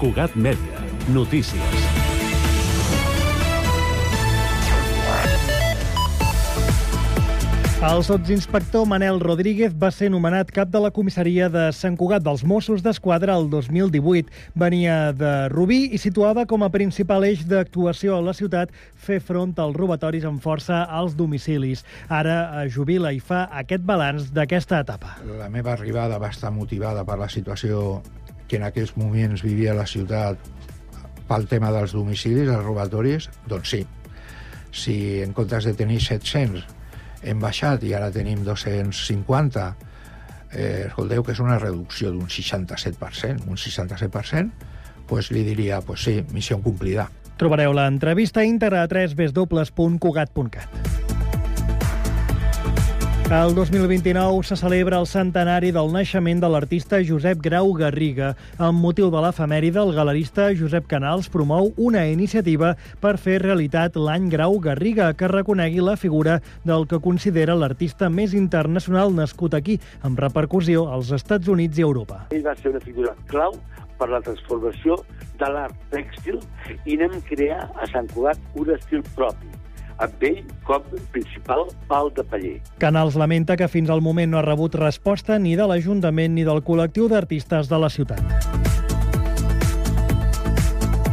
Cugat Mèdia. Notícies. El sotsinspector Manel Rodríguez va ser nomenat cap de la comissaria de Sant Cugat dels Mossos d'Esquadra el 2018. Venia de Rubí i situava com a principal eix d'actuació a la ciutat fer front als robatoris amb força als domicilis. Ara jubila i fa aquest balanç d'aquesta etapa. La meva arribada va estar motivada per la situació que en aquells moments vivia la ciutat pel tema dels domicilis, els robatoris. Doncs sí, si en comptes de tenir 700 hem baixat i ara tenim 250, escolteu que és una reducció d'un 67%, doncs li diria, doncs sí, missió complida. Trobareu l'entrevista íntegra a www.cugat.cat. El 2029 se celebra el centenari del naixement de l'artista Josep Grau Garriga. Amb motiu de l'efemèride, el galerista Josep Canals promou una iniciativa per fer realitat l'any Grau Garriga, que reconegui la figura del que considera l'artista més internacional nascut aquí, amb repercussió als Estats Units i Europa. Ell va ser una figura clau per la transformació de l'art tèxtil i anem a crear a Sant Cugat un estil propi, amb ell com principal pal de paller. Canals lamenta que fins al moment no ha rebut resposta ni de l'Ajuntament ni del col·lectiu d'artistes de la ciutat.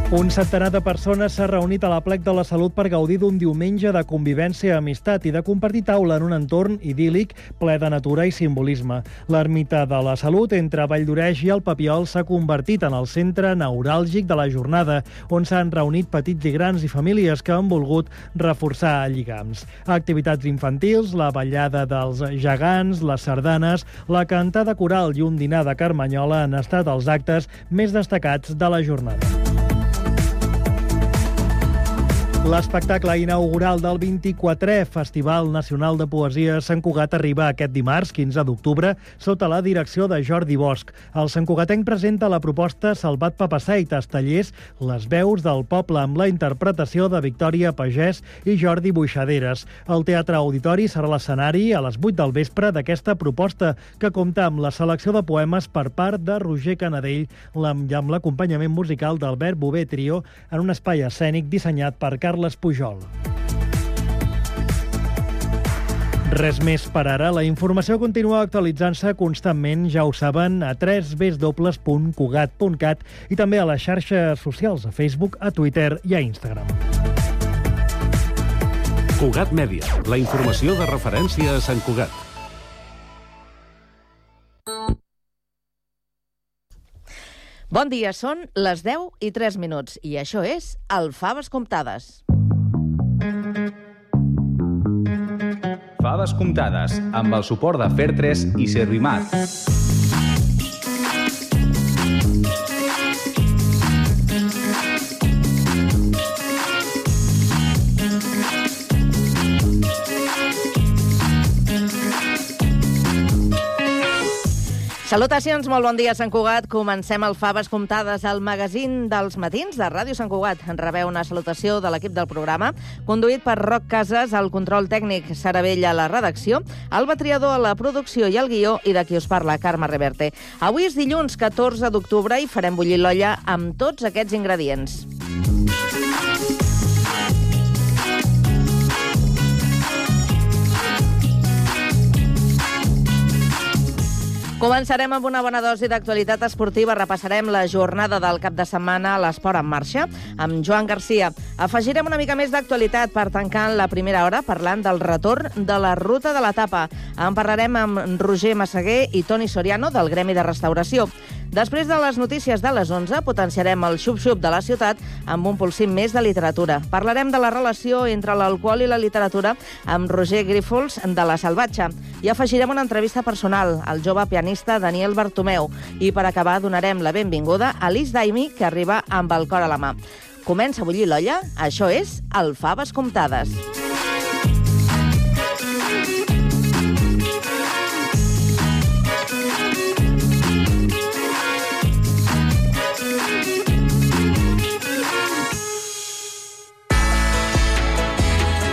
Un centenar de persones s'ha reunit a la Plec de la Salut per gaudir d'un diumenge de convivència, amistat i de compartir taula en un entorn idíl·lic ple de natura i simbolisme. L'Ermita de la Salut, entre Valldoreix i el Papiol, s'ha convertit en el centre neuràlgic de la jornada, on s'han reunit petits i grans i famílies que han volgut reforçar lligams. Activitats infantils, la ballada dels gegants, les sardanes, la cantada coral i un dinar de carmanyola han estat els actes més destacats de la jornada. L'espectacle inaugural del 24è Festival Nacional de Poesia Sant Cugat arriba aquest dimarts, 15 d'octubre, sota la direcció de Jordi Bosch. El santcugatenc presenta la proposta Salvat Papaseitas, tallers Les veus del poble, amb la interpretació de Victòria Pagès i Jordi Buixaderes. El Teatre Auditori serà l'escenari a les 8 del vespre d'aquesta proposta, que compta amb la selecció de poemes per part de Roger Canadell i amb l'acompanyament musical d'Albert Bové Trio en un espai escènic dissenyat per Carles Pujol. Res més per ara. La informació continua actualitzant-se constantment, ja ho saben, a www.cugat.cat i també a les xarxes socials, a Facebook, a Twitter i a Instagram. Cugat Mèdia, la informació de referència a Sant Cugat. Bon dia, són les 10:03 i això és el Faves Comptades. Faves Comptades, amb el suport de Fer3 i Servimat. Salutacions, molt bon dia, Sant Cugat. Comencem el Faves Comptades, el magazín dels matins de Ràdio Sant Cugat. En rebeu una salutació de l'equip del programa, conduït per Roc Casas, el control tècnic, Sara Vella a la redacció, Alba Triador a la producció i el guió, i de qui us parla, Carme Reverte. Avui és dilluns 14 d'octubre i farem bullir l'olla amb tots aquests ingredients. Començarem amb una bona dosi d'actualitat esportiva. Repassarem la jornada del cap de setmana a l'Esport en Marxa amb Joan Garcia. Afegirem una mica més d'actualitat per tancar la primera hora parlant del retorn de la ruta de l'etapa. En parlarem amb Roger Massaguer i Toni Soriano del Gremi de Restauració. Després de les notícies de les 11, potenciarem el xup-xup de la ciutat amb un polsim més de literatura. Parlarem de la relació entre l'alcohol i la literatura amb Roger Grífols de La Salvatge. I afegirem una entrevista personal al jove pianista Daniel Bartomeu. I per acabar donarem la benvinguda a Liz Daimi, que arriba amb el cor a la mà. Comença a bullir l'olla? Això és el Faves Comptades.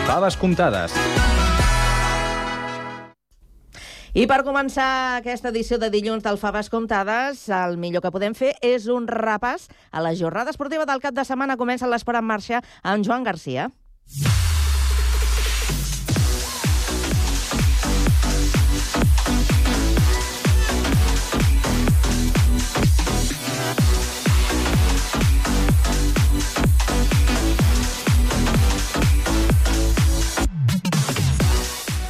Faves Comptades. I per començar aquesta edició de dilluns del Faves Comptades, el millor que podem fer és un repàs a la jornada esportiva del cap de setmana. Comença l'Esport en Marxa amb Joan Garcia.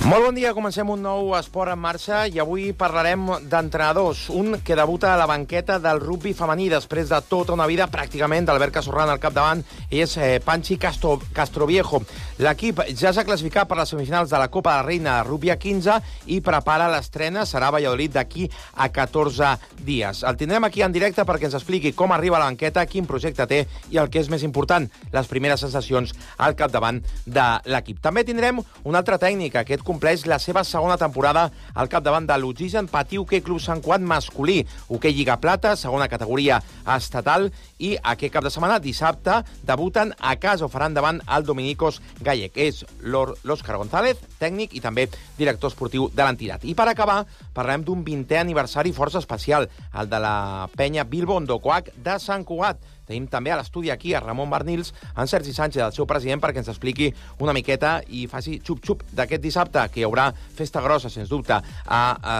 Molt bon dia, comencem un nou Esport en Marxa i avui parlarem d'entrenadors. Un que debuta a la banqueta del rugbi femení després de tota una vida pràcticament d'Albert Casorran al capdavant és Panchi Castroviejo. L'equip ja s'ha classificat per les semifinals de la Copa de la Reina de Rugby a 15 i prepara l'estrena, serà a Valladolid d'aquí a 14 dies. El tindrem aquí en directe perquè ens expliqui com arriba a la banqueta, quin projecte té i el que és més important, les primeres sensacions al capdavant de l'equip. També tindrem un altre tècnic, aquest compleix la seva segona temporada al capdavant de l'Oxigen Patí Hoquei Club Sant Cugat masculí, Hoquei Lliga Plata, segona categoria estatal, i aquest cap de setmana, dissabte, debuten a casa o faran davant el Dominicos Gallec. És l'Òscar González, tècnic i també director esportiu de l'entitat. I per acabar, parlem d'un 20è aniversari força especial, el de la penya Bilbo Ondokoak de Sant Cugat. Tenim també a l'estudi aquí a Ramon Barnils, en Sergi Sánchez, el seu president, perquè ens expliqui una miqueta i faci xup-xup d'aquest dissabte, que hi haurà festa grossa, sens dubte, a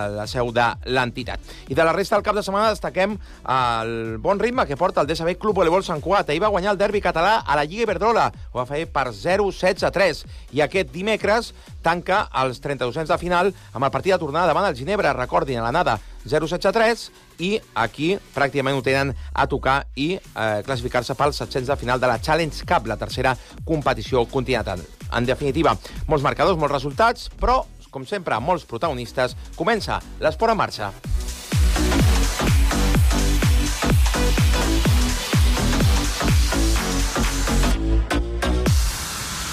la seu de l'entitat. I de la resta del cap de setmana destaquem el bon ritme que porta el DSB Club Voleibol Sant Cugat. Ahir va guanyar el derbi català a la Lliga Iberdrola, ho va fer per 0-16-3, i aquest dimecres tanca els 32ens de final amb el partit de tornada davant el Ginebra. Recordin, a l'anada 0-16-3, i aquí pràcticament ho tenen a tocar i classificar-se pels 700 de final de la Challenge Cup, la tercera competició continental. En definitiva, molts marcadors, molts resultats, però, com sempre, molts protagonistes. Comença l'Esport en Marxa.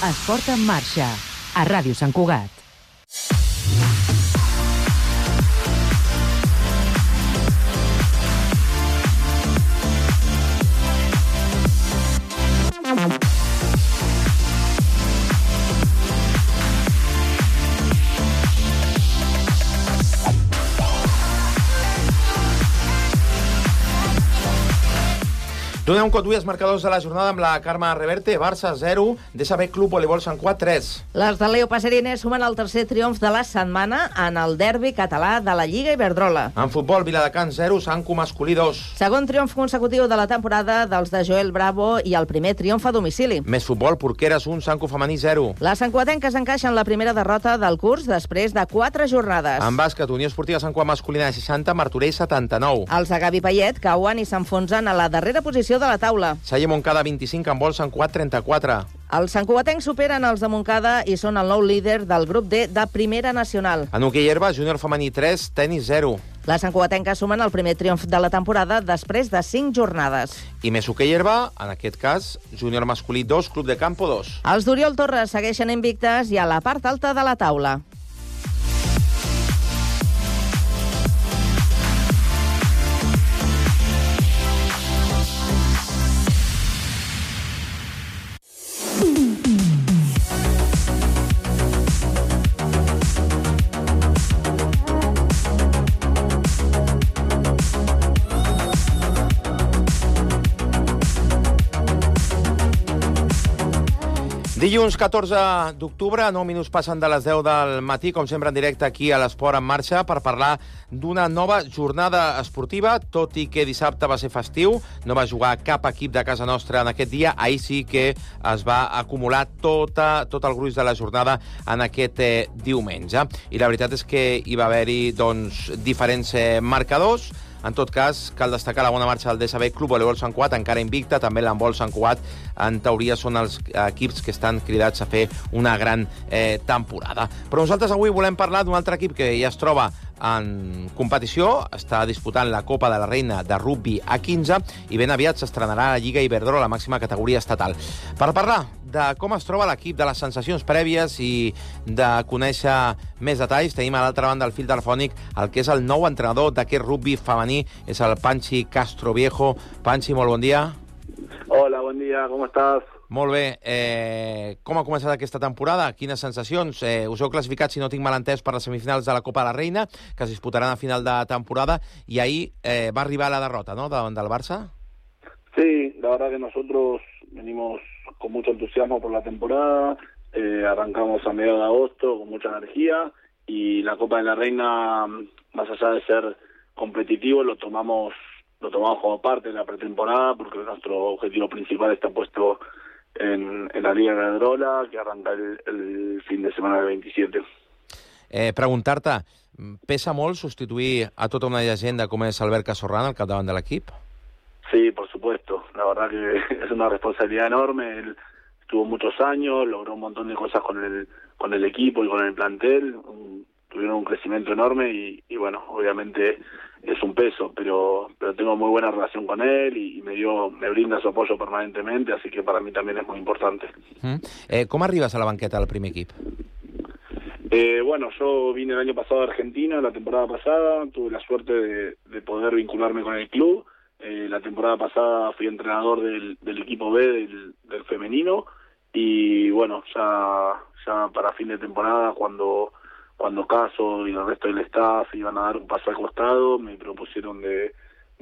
Esport en Marxa, a Ràdio Sant Cugat. Donem un cop d'ull als marcadors de la jornada amb la Carme Reverte. Barça 0, DSB Club Voleibol Sant Cugat 3. Les de Leo Passerines sumen el tercer triomf de la setmana en el derbi català de la Lliga Iberdrola. En futbol, Viladecans 0, Sanco masculí 2. Segon triomf consecutiu de la temporada dels de Joel Bravo i el primer triomf a domicili. Més futbol, Porqueres 1, Sanco femení 0. Les santcuatenques encaixen la primera derrota del curs després de 4 jornades. En bàsquet, Unió Esportiva Sant Cugat masculina de 60, Martorell 79. Els de Gavi Payet cauen i s'enfonsen a la darrera posició de la taula. Salle Montcada 25, en vol Sant Cugat 34. Els santcuatencs superen els de Montcada i són el nou líder del grup D de Primera Nacional. En hoquei herba, júnior femení 3, tenis 0. Les santcuatenques sumen el primer triomf de la temporada després de 5 jornades. I més hoquei herba, en aquest cas, júnior masculí 2, club de campo 2. Els d'Oriol Torres segueixen invictes i a la part alta de la taula. Dilluns 14 d'octubre, 9 minuts passen de les 10 del matí, com sempre en directe aquí a l'Esport en Marxa, per parlar d'una nova jornada esportiva, tot i que dissabte va ser festiu, no va jugar cap equip de casa nostra en aquest dia, ahir sí que es va acumular tot el gruix de la jornada en aquest diumenge. I la veritat és que hi va haver-hi diferents marcadors. En tot cas, cal destacar la bona marxa del DSB Club Voleibol Sant Cugat, encara invicta, també l'handbol Sant Cugat, en teoria són els equips que estan cridats a fer una gran temporada. Però nosaltres avui volem parlar d'un altre equip que ja es troba en competició, està disputant la Copa de la Reina de Rugby a 15 i ben aviat s'estrenarà a la Lliga Iberdrola, la màxima categoria estatal. Per parlar de com es troba l'equip, de les sensacions prèvies i de conèixer més detalls, tenim a l'altra banda del fil telefònic el que és el nou entrenador d'aquest rugby femení, és el Panchi Castroviejo. Panchi, molt bon dia. Hola, buen día, ¿cómo estás? Molt bé. Com ha començat aquesta temporada? Quines sensacions? Us heu classificat, si no tinc mal entès, per les semifinals de la Copa de la Reina, que es disputaran a final de temporada, y ahí va arribar la derrota, ¿no?, davant del Barça. Sí, la verdad que nosotros venimos con mucho entusiasmo por la temporada, arrancamos a mediados de agosto con mucha energía y la Copa de la Reina, más allá de ser competitivo, lo tomamos como parte de la pretemporada porque nuestro objetivo principal está puesto en la Liga de Iberdrola, que arranca el fin de semana del 27. Preguntar-te, pesa molt substituir a tota una llegenda com és Albert Cazorrán al capdavant de l'equip? Sí, por supuesto. La verdad que es una responsabilidad enorme. Él estuvo muchos años, logró un montón de cosas con el equipo y con el plantel. Tuvieron un crecimiento enorme y bueno, obviamente es un peso, pero tengo muy buena relación con él y me brinda su apoyo permanentemente, así que para mí también es muy importante. Com arribes a la banqueta del primer equip? Bueno, yo vine el año pasado a Argentina, la temporada pasada, tuve la suerte de poder vincularme con el club. La temporada pasada fui entrenador del equipo B del femenino y bueno, ya para fin de temporada, cuando Caso y el resto del staff iban a dar un paso al costado, me propusieron de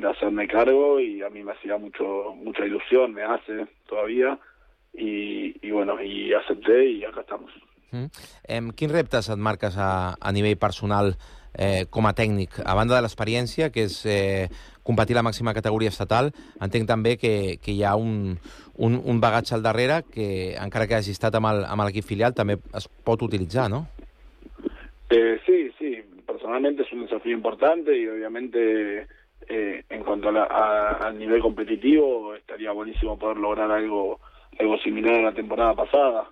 hacerme cargo y a mí me hacía mucha ilusión, me hace todavía y bueno, y acepté y acá estamos. Quins reptes et marques a nivell personal com a tècnic? A banda de l'experiència, que és competir la màxima categoria estatal, entenc també que hi ha un bagatge al darrere que, encara que hagi estat amb l'equip filial, també es pot utilitzar, ¿no? Sí, personalmente es un desafío importante y obviamente en cuanto al nivel competitivo estaría buenísimo poder lograr algo similar a la temporada pasada.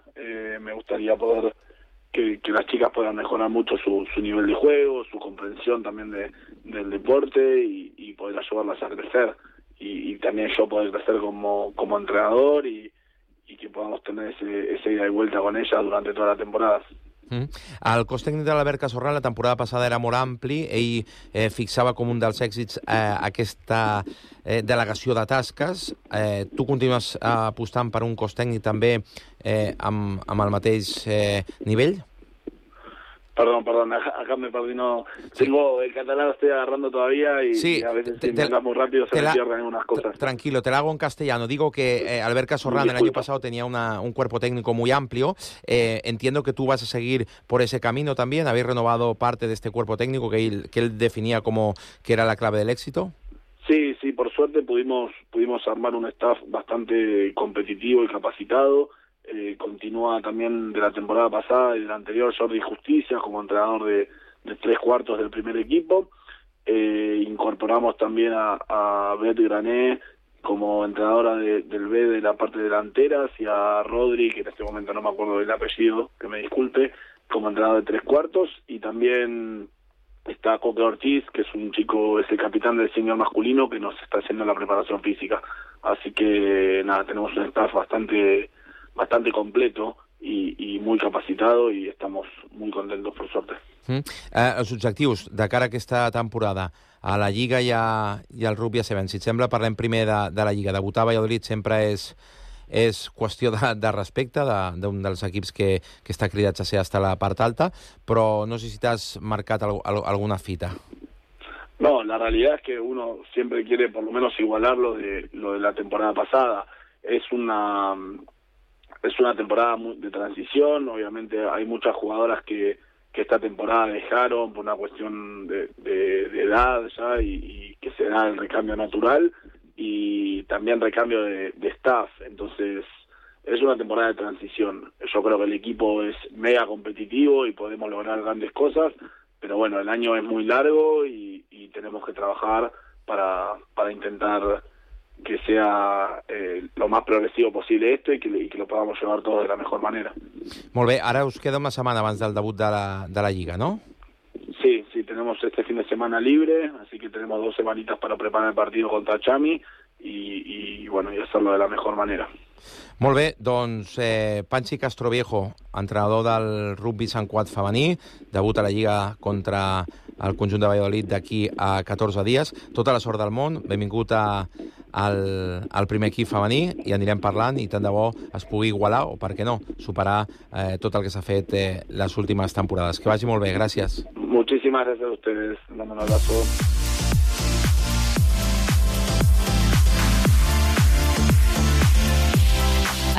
Me gustaría poder que las chicas puedan mejorar mucho su nivel de juego, su comprensión también del deporte y poder ayudarlas a crecer y también yo poder crecer como entrenador y que podamos tener ese ida y vuelta con ellas durante toda la temporada. El cos tècnic de l'Albert Cazorrán la temporada passada era molt ampli. Ell fixava com un dels èxits aquesta delegació de tasques. Tu continues apostant per un cos tècnic també amb el mateix nivell? Perdón, acá me perdí, no. Tengo el catalán, lo estoy agarrando todavía y, sí, y a veces si me hablas muy rápido se me pierden algunas cosas. Tranquilo, te la hago en castellano. Digo que Albert Cazorrán el año pasado tenía un cuerpo técnico muy amplio. Entiendo que tú vas a seguir por ese camino también. ¿Habéis renovado parte de este cuerpo técnico que él definía como que era la clave del éxito? Sí, por suerte pudimos armar un staff bastante competitivo y capacitado. Continúa también de la temporada pasada y de la anterior Jordi Justicia como entrenador de 3/4 del primer equipo. Incorporamos también a Beth Grané como entrenadora del B de la parte delantera y a Rodri, que en este momento no me acuerdo del apellido, que me disculpe, como entrenador de 3/4, y también está Coque Ortiz, que es un chico, es el capitán del senior masculino que nos está haciendo la preparación física. Así que nada, tenemos un staff bastante completo y muy capacitado y estamos muy contentos, por suerte. Els objectius de cara a aquesta temporada a la Lliga i al rugby a 7, si et sembla, parlem primer de la Lliga. Debutar a Valladolid sempre és qüestió de respecte d'un dels equips que està cridats a ser hasta la part alta, però no sé si t'has marcat alguna fita. No, la realidad es que uno siempre quiere por lo menos igualar lo de la temporada pasada. Es una temporada de transición, obviamente hay muchas jugadoras que esta temporada dejaron por una cuestión de edad ya y que se da el recambio natural y también recambio de staff, entonces es una temporada de transición. Yo creo que el equipo es mega competitivo y podemos lograr grandes cosas, pero bueno, el año es muy largo y tenemos que trabajar para intentar que sea lo más progresivo posible esto y que lo podamos llevar todos de la mejor manera. Molt bé, ara us queda una setmana abans del debut de la Lliga, ¿no? Sí, tenemos este fin de semana libre, así que tenemos 2 semanitas para preparar el partido contra Chami y bueno, y hacerlo de la mejor manera. Molt bé, doncs Panchi Castroviejo, entrenador del rugby Sant Cugat femení, debut a la Lliga contra el conjunt de Valladolid d'aquí a 14 dies. Tota la sort del món, benvingut a el primer equip femení i anirem parlant i tant de bo es pugui igualar o, per què no, superar tot el que s'ha fet les últimes temporades. Que vagi molt bé, gràcies. Muchísimas gracias a ustedes. Dame un abrazo.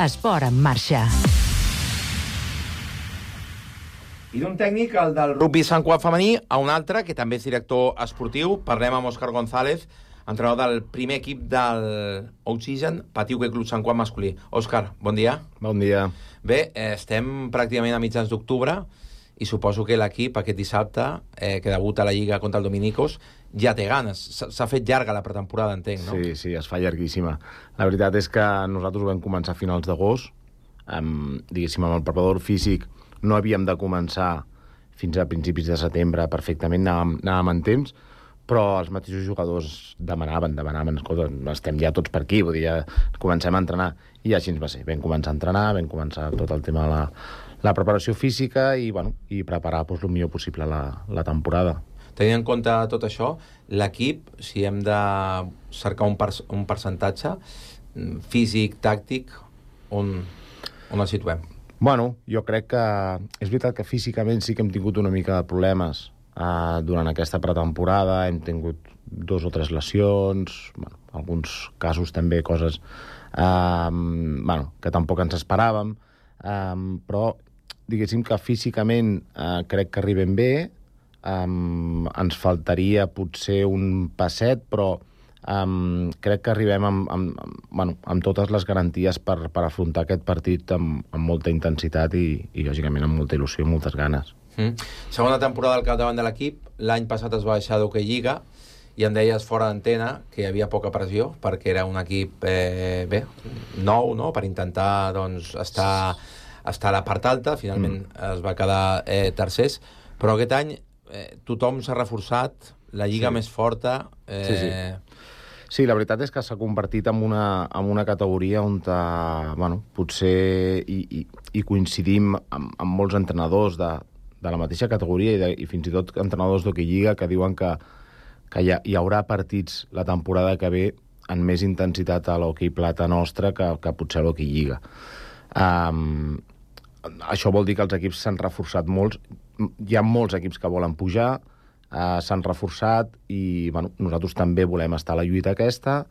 Esport en marxa. I d'un tècnic, el del rugby Sant Cugat femení, a un altre, que també és director esportiu. Parlem amb Òscar González, entrenador del primer equip del Oxygen Patí Hoquei Club Sant Cugat masculí. Òscar, bon dia. Bon dia. Bé, estem pràcticament a mitjans d'octubre i suposo que l'equip aquest dissabte, que debuta a la Lliga contra el Dominicos, ja té ganes. S'ha fet llarga la pretemporada, entenc, no? Sí, es fa llarguíssima. La veritat és que nosaltres ho vam començar a finals d'agost. Diguéssim, amb el preparador físic no havíem de començar fins a principis de setembre perfectament, anàvem en temps, però els mateixos jugadors demanaven, escolta, estem ja tots per aquí, vull dir, ja comencem a entrenar. I així ens va ser. Vam començar a entrenar, vam començar tot el tema de la preparació física i preparar el millor possible la temporada. Tenint en compte tot això, l'equip, si hem de cercar un percentatge físic, tàctic, on el situem? Bueno, jo crec que és veritat que físicament sí que hem tingut una mica de problemes durant aquesta pretemporada, hem tingut 2 o 3 lesions, alguns casos també coses que tampoc ens esperàvem, però diguéssim que físicament crec que arribem bé, ens faltaria potser un passet, però crec que arribem amb totes les garanties per afrontar aquest partit amb molta intensitat i lògicament amb molta il·lusió i moltes ganes. Segona temporada al capdavant de l'equip. L'any passat es va baixar d'Hoquei Lliga i em deies fora d'antena que hi havia poca pressió perquè era un equip nou, no? Per intentar estar a la part alta. Finalment es va quedar tercers, però aquest any tothom s'ha reforçat, la lliga més forta. Sí, la veritat és que s'ha convertit en una categoria on potser hi coincidim amb molts entrenadors de la mateixa categoria i fins i tot entrenadors d'Hoquei Lliga que diuen que hi haurà partits la temporada que ve amb més intensitat a l'hoquei plata nostra que potser a l'Hoquei Lliga. Això vol dir que els equips s'han reforçat molts. Hi ha molts equips que volen pujar, s'han reforçat i nosaltres també volem estar a la lluita aquesta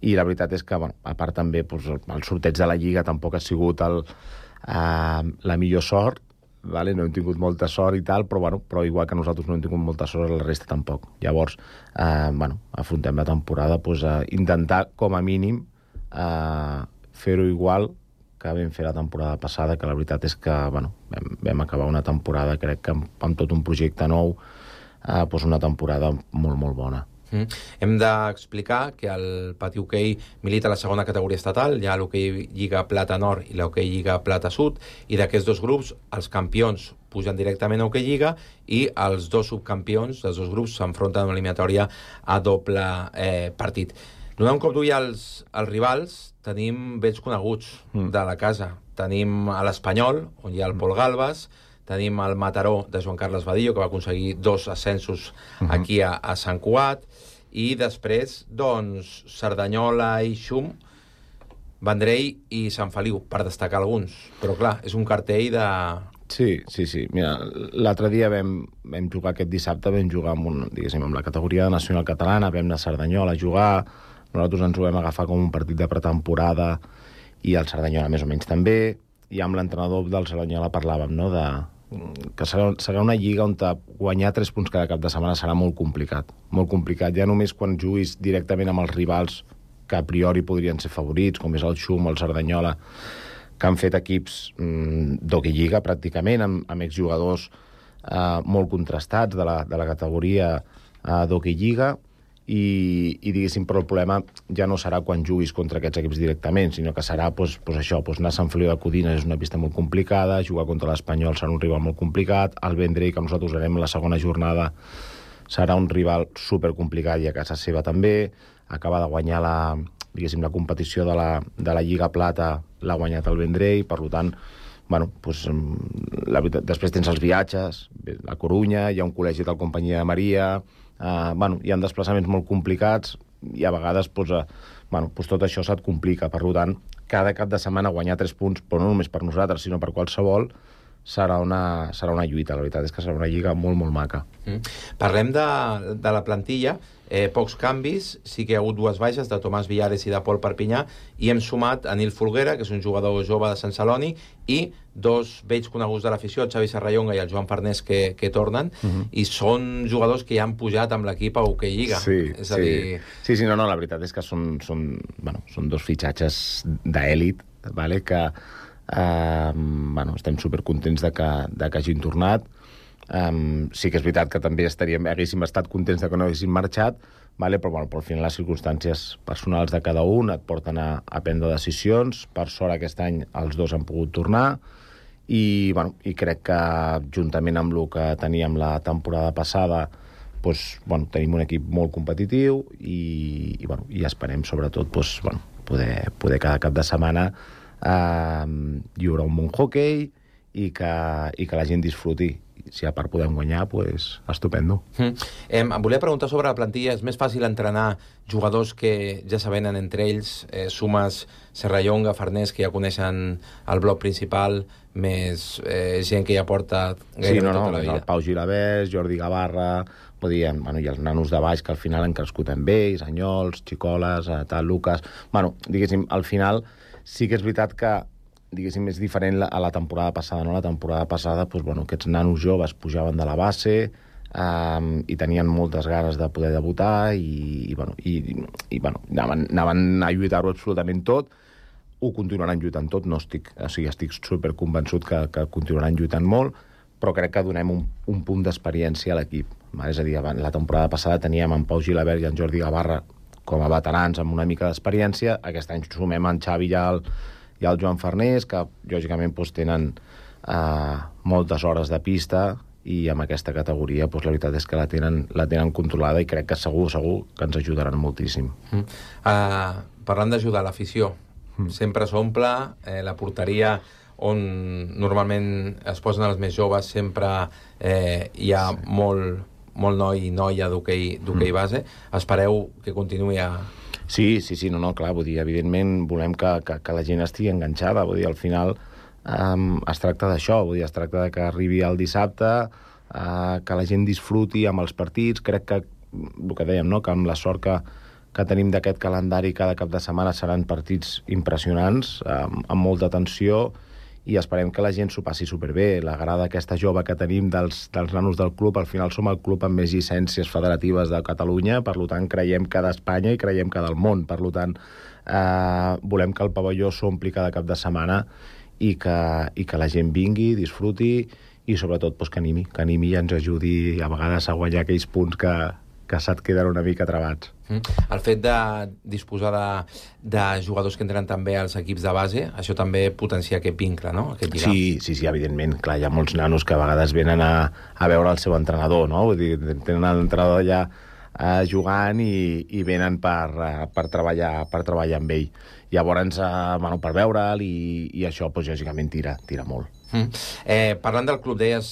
i la veritat és que, a part també el sorteig de la Lliga tampoc ha sigut la millor sort, no hem tingut molta sort i tal, però igual que nosaltres no hem tingut molta sort, la resta tampoc. Llavors, afrontem la temporada a intentar, com a mínim, fer-ho igual que vam fer la temporada passada, que la veritat és que vam acabar una temporada, crec que amb tot un projecte nou, una temporada molt, molt bona. Hem d'explicar que el Patí Hoquei milita a la segona categoria estatal, hi ha l'Hoquei Lliga Plata Nord i l'Hoquei Lliga Plata Sud, i d'aquests 2 grups, els campions pugen directament a Hoquei Lliga i els 2 subcampions dels 2 grups s'enfronten a una eliminatòria a doble partit. Donant un cop d'ull als rivals, tenim vells coneguts de la casa. Tenim a l'Espanyol, on hi ha el Pol Galbas, tenim el Mataró de Joan Carles Badillo, que va aconseguir 2 ascensos aquí a Sant Cugat, i després, Cerdanyola i Xum, Vendrell i Sant Feliu, per destacar alguns. Però, clar, és un cartell de... Sí. Mira, l'altre dia vam jugar aquest dissabte, vam jugar amb la categoria nacional catalana, vam anar a Cerdanyola a jugar, nosaltres ens ho vam agafar com un partit de pretemporada i el Cerdanyola més o menys també, i amb l'entrenador del Cerdanyola parlàvem, que serà una lliga on guanyar 3 punts cada cap de setmana serà molt complicat. Molt complicat, ja només quan juguis directament amb els rivals que a priori podrien ser favorits, com és el Xum o el Cerdanyola, que han fet equips d'Hoquei Lliga pràcticament, amb exjugadors molt contrastats de la categoria d'Hoquei Lliga, i diguéssim, però el problema ja no serà quan juguis contra aquests equips directament, sinó que serà anar a Sant Feliu de Codines és una pista molt complicada, jugar contra l'Espanyol serà un rival molt complicat, el Vendrell, que nosaltres farem la segona jornada, serà un rival supercomplicat i a casa seva també, acaba de guanyar la competició de la Lliga Plata, l'ha guanyat el Vendrell, per tant, després tens els viatges, a Corunya, hi ha un col·legi del Companyia de Maria, hi ha desplaçaments molt complicats i a vegades tot això se't complica. Per tant, cada cap de setmana guanyar 3 punts, però no només per nosaltres, sinó per qualsevol, serà una lluita. La veritat és que serà una lliga molt, molt maca. Parlem de la plantilla. Pocs canvis, sí que hi ha hagut 2 baixes de Tomàs Villares i de Pol Perpinyà, i hem sumat a Nil Folguera, que és un jugador jove de Sant Celoni, i 2 vells coneguts de l'afició, el Xavi Serrallonga i el Joan Farnés, que tornen, i són jugadors que ja han pujat amb l'equip a Hockey Lliga. Sí, no, la veritat és que són 2 fitxatges d'èlit, que estem supercontents de que hagin tornat. Sí que és veritat que també haguéssim estat contents de que no haguéssim marxat, però al final les circumstàncies personals de cada un et porten a prendre decisions. Per sort aquest any els 2 han pogut tornar i crec que juntament amb el que teníem la temporada passada tenim un equip molt competitiu i esperem sobretot poder cada cap de setmana hi haurà un bon hockey i que la gent disfruti. Si a part podem guanyar, estupendo. Em volia preguntar sobre la plantilla. És més fàcil entrenar jugadors que ja s'avenen entre ells, sumes Serrallonga, Farnés, que ja coneixen el bloc principal, més gent que ja porta gairebé tota la vida. El Pau Gilabert, Jordi Gavarra, i els nanos de baix que al final han crescut amb ells, Anyols, Xicoles, Lucas... Diguéssim, al final sí que és veritat que és diferent a la temporada passada, no? La temporada passada, aquests nanos joves pujaven de la base i tenien moltes ganes de poder debutar i anaven a lluitar-ho absolutament tot. Ho continuaran lluitant tot, estic superconvençut que continuaran lluitant molt, però crec que donem un punt d'experiència a l'equip. És a dir, la temporada passada teníem en Pau Gilabert i en Jordi Gavarra com a veterans amb una mica d'experiència. Aquest any sumem en Xavi i el Joan Farnés, que lògicament tenen moltes hores de pista i amb aquesta categoria la veritat és que la tenen controlada i crec que segur que ens ajudaran moltíssim. Parlant d'ajudar l'afició, sempre s'omple, la porteria on normalment es posen els més joves sempre hi ha molt noi i noia d'hoquei base. Espereu que continuï a... Sí, clar, evidentment volem que la gent estigui enganxada, al final es tracta d'això, es tracta que arribi el dissabte, que la gent disfruti amb els partits. Crec que, el que dèiem, que amb la sort que tenim d'aquest calendari cada cap de setmana seran partits impressionants, amb molta tensió, i esperem que la gent s'ho passi superbé. La grada aquesta jove que tenim dels nanos del club, al final som el club amb més llicències federatives de Catalunya, per tant creiem que d'Espanya i creiem que del món. Per tant, volem que el pavelló s'ompli cada cap de setmana i que la gent vingui, disfruti i sobretot que animi i ens ajudi a vegades a guanyar aquells punts que se't queden una mica travats. El fet de disposar de jugadors que entren també als equips de base, això també potencia aquest vincle, no? Aquest lligam. Sí, evidentment. Clar, hi ha molts nanos que a vegades venen a veure el seu entrenador, no? Vull dir, tenen l'entrenador allà jugant i venen per treballar amb ell. Llavors, per veure'l i això, lògicament, tira molt. Parlant del club, deies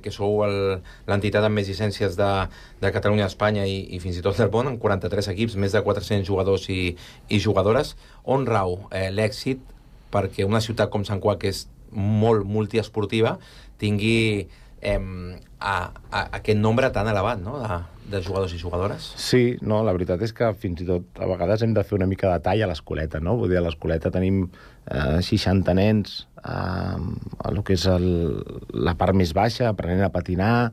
que sou l'entitat amb més llicències de Catalunya, Espanya i fins i tot del món, amb 43 equips, més de 400 jugadors i jugadores. On rau l'èxit perquè una ciutat com Sant Cugat, que és molt multiesportiva, tingui aquest nombre tan elevat, no?, de jugadors i jugadores? Sí, no, la veritat és que fins i tot a vegades hem de fer una mica de tall a l'escoleta, no? Vull dir, a l'escoleta tenim 60 nens el que és la part més baixa, aprenent a patinar,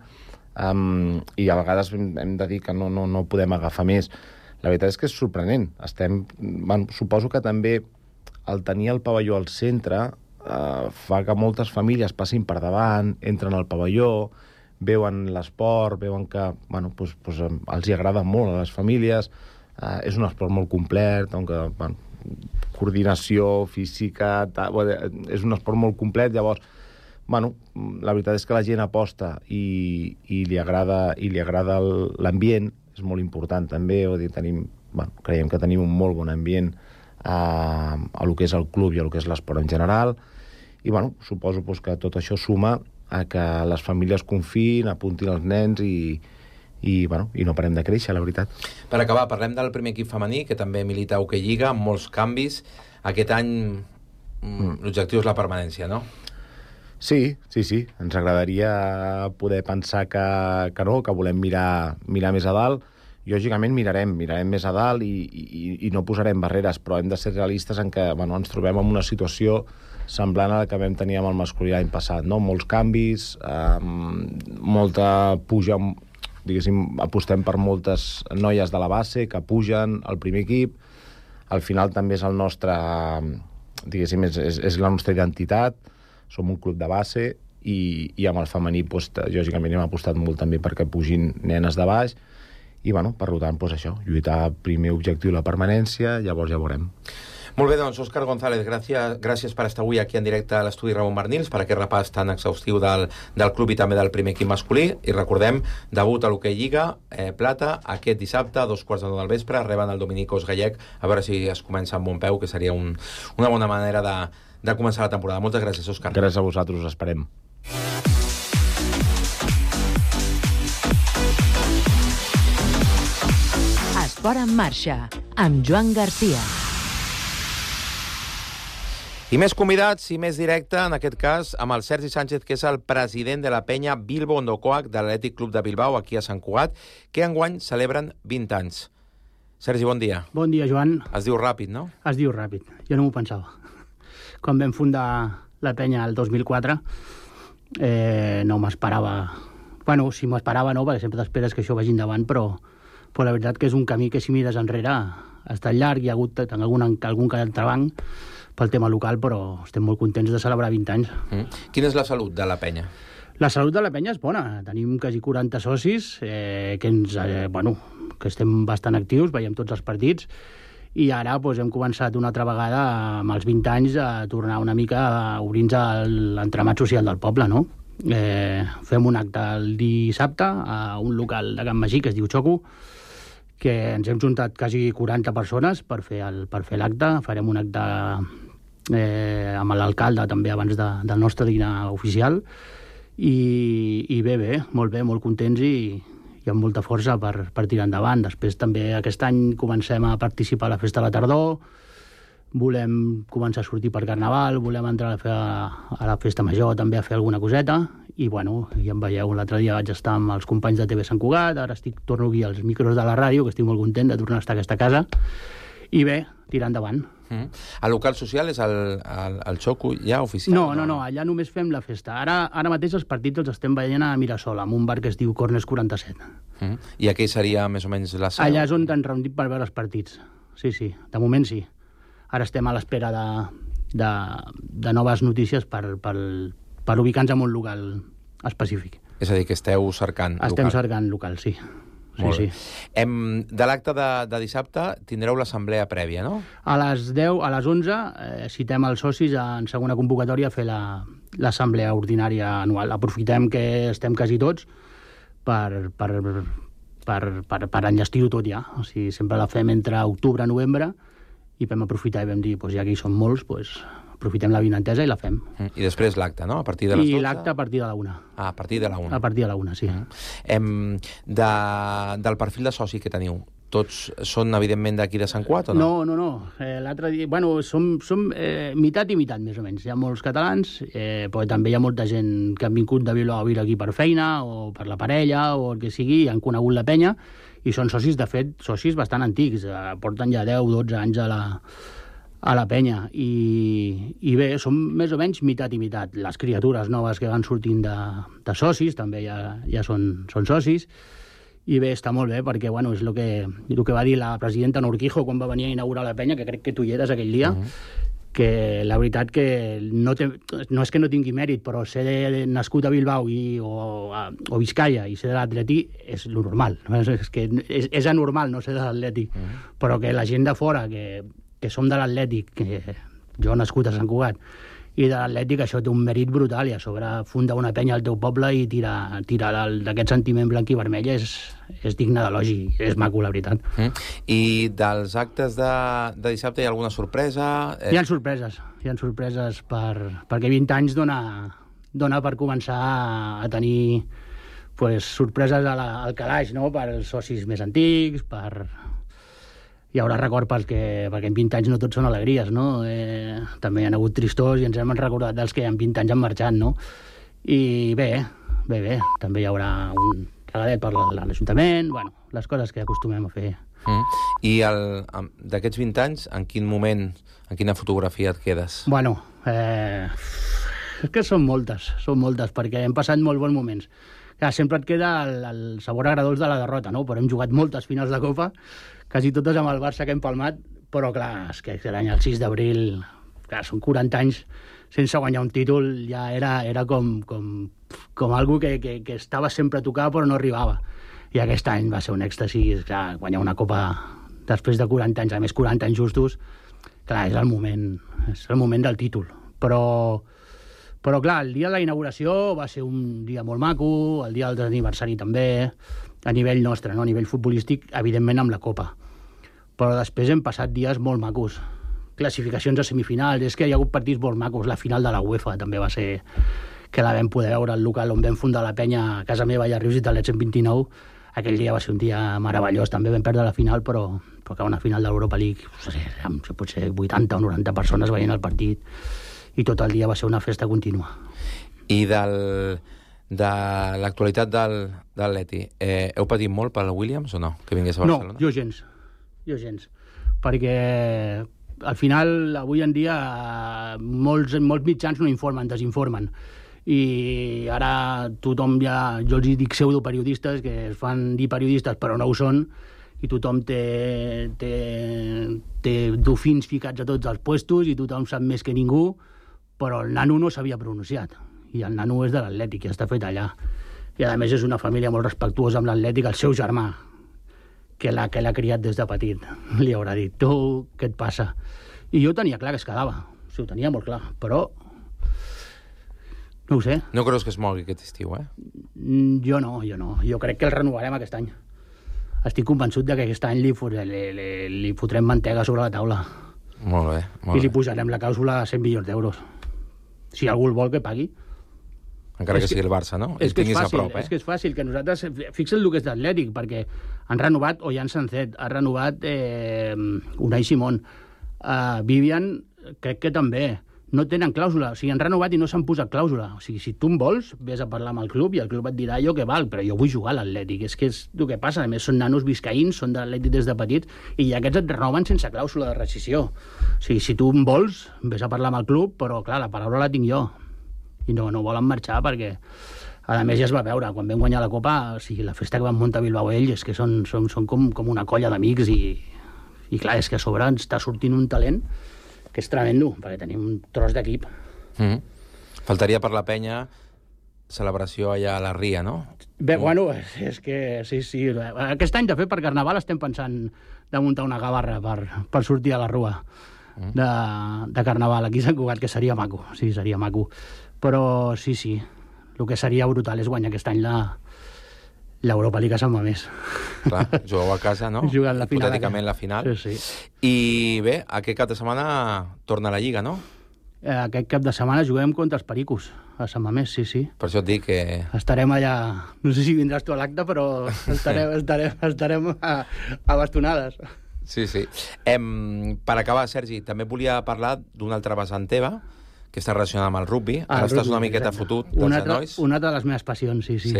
i a vegades hem de dir que no podem agafar més. La veritat és que és sorprenent. Suposo que també el tenir el pavelló al centre fa que moltes famílies passin per davant, entren al pavelló, veuen l'esport, veuen que els hi agrada molt a les famílies. És un esport molt complet, coordinació física, és un esport molt complet. Llavors, la veritat és que la gent aposta i li agrada l'ambient, és molt important també. Creiem que tenim un molt bon ambient a lo que és el club i a lo que és l'esport en general, i suposo que tot això suma a que les famílies confiïn, apuntin els nens i i no parem de créixer, la veritat. Per acabar, parlem del primer equip femení, que també milita a Hockey Lliga, amb molts canvis. Aquest any l'objectiu és la permanència, no? Sí. Ens agradaria poder pensar que no, que volem mirar més a dalt. Lògicament mirarem més a dalt i no posarem barreres, però hem de ser realistes en que ens trobem en una situació semblant a la que vam tenir amb el masculí l'any passat, no? Molts canvis, molta puja, diguéssim, apostem per moltes noies de la base que pugen al primer equip. Al final també és el nostre, diguéssim, és la nostra identitat. Som un club de base i amb el femení, lògicament, hem apostat molt també perquè pugin nenes de baix i, per tant, això, lluitar primer objectiu la permanència, llavors ja veurem. Molt bé, doncs, Òscar González, gràcies per estar avui aquí en directe a l'estudi Ramon Barnils, per aquest repàs tan exhaustiu del club i també del primer equip masculí. I recordem, debut a l'Hockey Lliga, Plata, aquest dissabte, a 2:15 del vespre, reben el Dominicos Gallec, a veure si es comença amb bon peu, que seria una bona manera de començar la temporada. Moltes gràcies, Òscar. Gràcies a vosaltres, us esperem. Esport en marxa, amb Joan Garcia. I més convidats i més directe, en aquest cas, amb el Sergi Sánchez, que és el president de la penya Bilbo Ondokoak de l'Atlètic Club de Bilbao, aquí a Sant Cugat, que enguany celebren 20 anys. Sergi, bon dia. Bon dia, Joan. Es diu ràpid, no? Es diu ràpid. Jo no m'ho pensava. Quan vam fundar la penya el 2004, no m'esperava... Bueno, si m'esperava no, perquè sempre t'esperes que això vagi endavant, però la veritat que és un camí que si mires enrere ha estat llarg, hi ha hagut algun entrebanc pel tema local, però estem molt contents de celebrar 20 anys. Quina és la salut de la penya? La salut de la penya és bona. Tenim quasi 40 socis, que estem bastant actius, veiem tots els partits, i ara hem començat una altra vegada, amb els 20 anys, a tornar una mica a obrir-nos l'entramat social del poble, no? Fem un acte el dissabte a un local de Can Magí que es diu Xoco, que ens hem juntat quasi 40 persones per fer l'acte. Farem un acte amb l'alcalde també abans del nostre dinar oficial i bé, molt contents i amb molta força per tirar endavant. Després també aquest any comencem a participar a la festa de la tardor, volem començar a sortir per Carnaval, volem entrar a la festa major també a fer alguna coseta i ja em veieu, l'altre dia vaig estar amb els companys de TV Sant Cugat, ara torno aquí als micros de la ràdio, que estic molt content de tornar a estar a aquesta casa i bé, tirar endavant. El local social és el Xoco ja oficial? No, allà només fem la festa. Ara mateix els partits els estem veient a Mirasol, amb un bar que es diu Corners 47. I aquí seria més o menys la seu? Allà és on ens reunim per veure els partits. Sí, de moment sí. Ara estem a l'espera de noves notícies per ubicar-nos en un local específic. És a dir, que esteu cercant local? Estem cercant local, sí. Sí. De l'acte de dissabte tindreu l'assemblea prèvia, no? A les 10, a les 11, citem els socis en segona convocatòria a fer l'assemblea ordinària anual. Aprofitem que estem quasi tots per enllestir-ho tot ja. O sigui, sempre la fem entre octubre i novembre i vam aprofitar i vam dir, ja que hi som molts, aprofitem la vinentesa i la fem. I després l'acte, no? A partir de les 12? I l'acte a partir de la 1. A partir de la 1. A partir de la 1, sí. Del perfil de soci que teniu, tots són, evidentment, d'aquí de Sant Cugat o no? No. L'altre dia... som meitat i meitat, més o menys. Hi ha molts catalans, però també hi ha molta gent que han vingut de Bilbao a viure aquí per feina o per la parella o el que sigui, i han conegut la penya, i són socis, de fet, socis bastant antics. Porten ja 10-12 anys a la penya. I bé, som més o menys meitat i meitat. Les criatures noves que van sortint de socis també ja són socis. I bé, està molt bé, perquè és el que va dir la presidenta Norquijo quan va venir a inaugurar la penya, que crec que tu hi eres aquell dia, que la veritat que no és que no tingui mèrit, però ser nascut a Bilbao o Vizcaya i ser de l'Atleti és lo normal. És anormal no ser de l'Atlètic, però que la gent de fora, que som de l'Atlètic, que jo nascut a Sant Cugat, i de l'Atlètic, això té un mèrit brutal, i a sobre fundar una penya al teu poble i tirar d'aquest sentiment blanc i vermell és digne d'elogi, és maco, la veritat. I dels actes de dissabte hi ha alguna sorpresa? Hi ha sorpreses perquè 20 anys dona per començar a tenir sorpreses al calaix, no?, per als socis més antics, hi haurà record perquè en 20 anys no tots són alegries, no? També hi ha hagut tristors i ens hem recordat dels que en 20 anys han marxat, no? I bé, també hi haurà un regalet per l'Ajuntament, bueno, les coses que acostumem a fer. I d'aquests 20 anys, en quin moment, en quina fotografia et quedes? Bueno, és que són moltes, perquè hem passat molt bons moments. Clar, sempre et queda el sabor agradós de la derrota, no? Però hem jugat moltes finals de Copa, quasi totes amb el Barça que hem palmat, però clar, és que l'any el 6 d'abril, clar, són 40 anys sense guanyar un títol, ja era com algo que estava sempre a tocar però no arribava. I aquest any va ser un èxtasi, clar, guanyar una Copa després de 40 anys, a més 40 anys justos, clar, és el moment del títol. Però clar, el dia de la inauguració va ser un dia molt maco, el dia del aniversari també, a nivell nostre, no? A nivell futbolístic, evidentment amb la Copa. Però després hem passat dies molt macos. Classificacions a semifinals, és que hi ha hagut partits molt macos. La final de la UEFA també va ser que la vam poder veure al local on vam fundar la penya a casa meva i a Rius i Talet 129. Aquell dia va ser un dia meravellós. També vam perdre la final, però que una final de l'Europa League, no sé, potser 80 o 90 persones veient el partit, i tot el dia va ser una festa contínua. I de l'actualitat de l'Atleti, heu patit molt pel Williams o no, que vingués a Barcelona? No, jo gens. Perquè al final, avui en dia, molts mitjans no informen, desinformen. I ara tothom jo els dic pseudoperiodistes, que es fan dir periodistes però no ho són, i tothom té dofins ficats a tots els puestos i tothom sap més que ningú, però el nano no s'havia pronunciat, i el nano és de l'Atlètic i està fet allà, i a més és una família molt respectuosa amb l'Atlètic. El seu germà, que l'ha criat des de petit, li haurà dit: tu, què et passa? I jo tenia clar que es quedava, ho tenia molt clar, però no ho sé. No creus que es mogui aquest estiu, Jo no, jo crec que el renovarem aquest any. Estic convençut que aquest any li fotrem mantega sobre la taula. Molt bé. I li posarem la clàusula a 100 milions d'euros. Si algú el vol, que pagui. Encara que sigui el Barça, no? És que és fàcil, és que és fàcil, que nosaltres... Fixa't el que és d'Atlètic, perquè han renovat Ollán Sancet, ha renovat Unai Simón, Vivian, crec que també. No tenen clàusula, o sigui, han renovat i no s'han posat clàusula. O sigui, si tu en vols, vés a parlar amb el club i el club et dirà jo que val, però jo vull jugar a l'Atlètic. És que és el que passa. A més, són nanos viscaïns, són de l'Atlètic des de petits, i aquests et renoven sense clàusula de rescissió. O sigui, si tu en vols, vés a parlar amb el club, però, clar, la paraula la tinc jo. I no volen marxar perquè, a més, ja es va veure. Quan vam guanyar la Copa, o sigui, la festa que van muntar a Bilbao ells, és que són com una colla d'amics i, clar, és que a sobre ens està sortint un talent que és tremendo, perquè tenim un tros d'equip. Faltaria per la penya celebració allà a la Ria, no? Bé, bueno, és que sí. Aquest any, de fet, per Carnaval estem pensant de muntar una gavarra per sortir a la rua de Carnaval aquí a Sant Cugat, que seria maco. Sí, seria maco. Però sí, el que seria brutal és guanyar aquest any l'Europa League a Sant Mamés. Clar, jugueu a casa, no? Jugant la final. Hipotèticament la final. Sí. I bé, aquest cap de setmana torna a la Lliga, no? Aquest cap de setmana juguem contra els Pericos, a Sant Mamés, sí. Per això et dic que... Estarem allà... No sé si vindràs tu a l'acte, però estarem a bastonades. Sí. Per acabar, Sergi, també volia parlar d'una altra vessant teva, que està relacionada amb el rugby. Ara estàs una miqueta fotut dels genolls. Una de les meves passions, sí.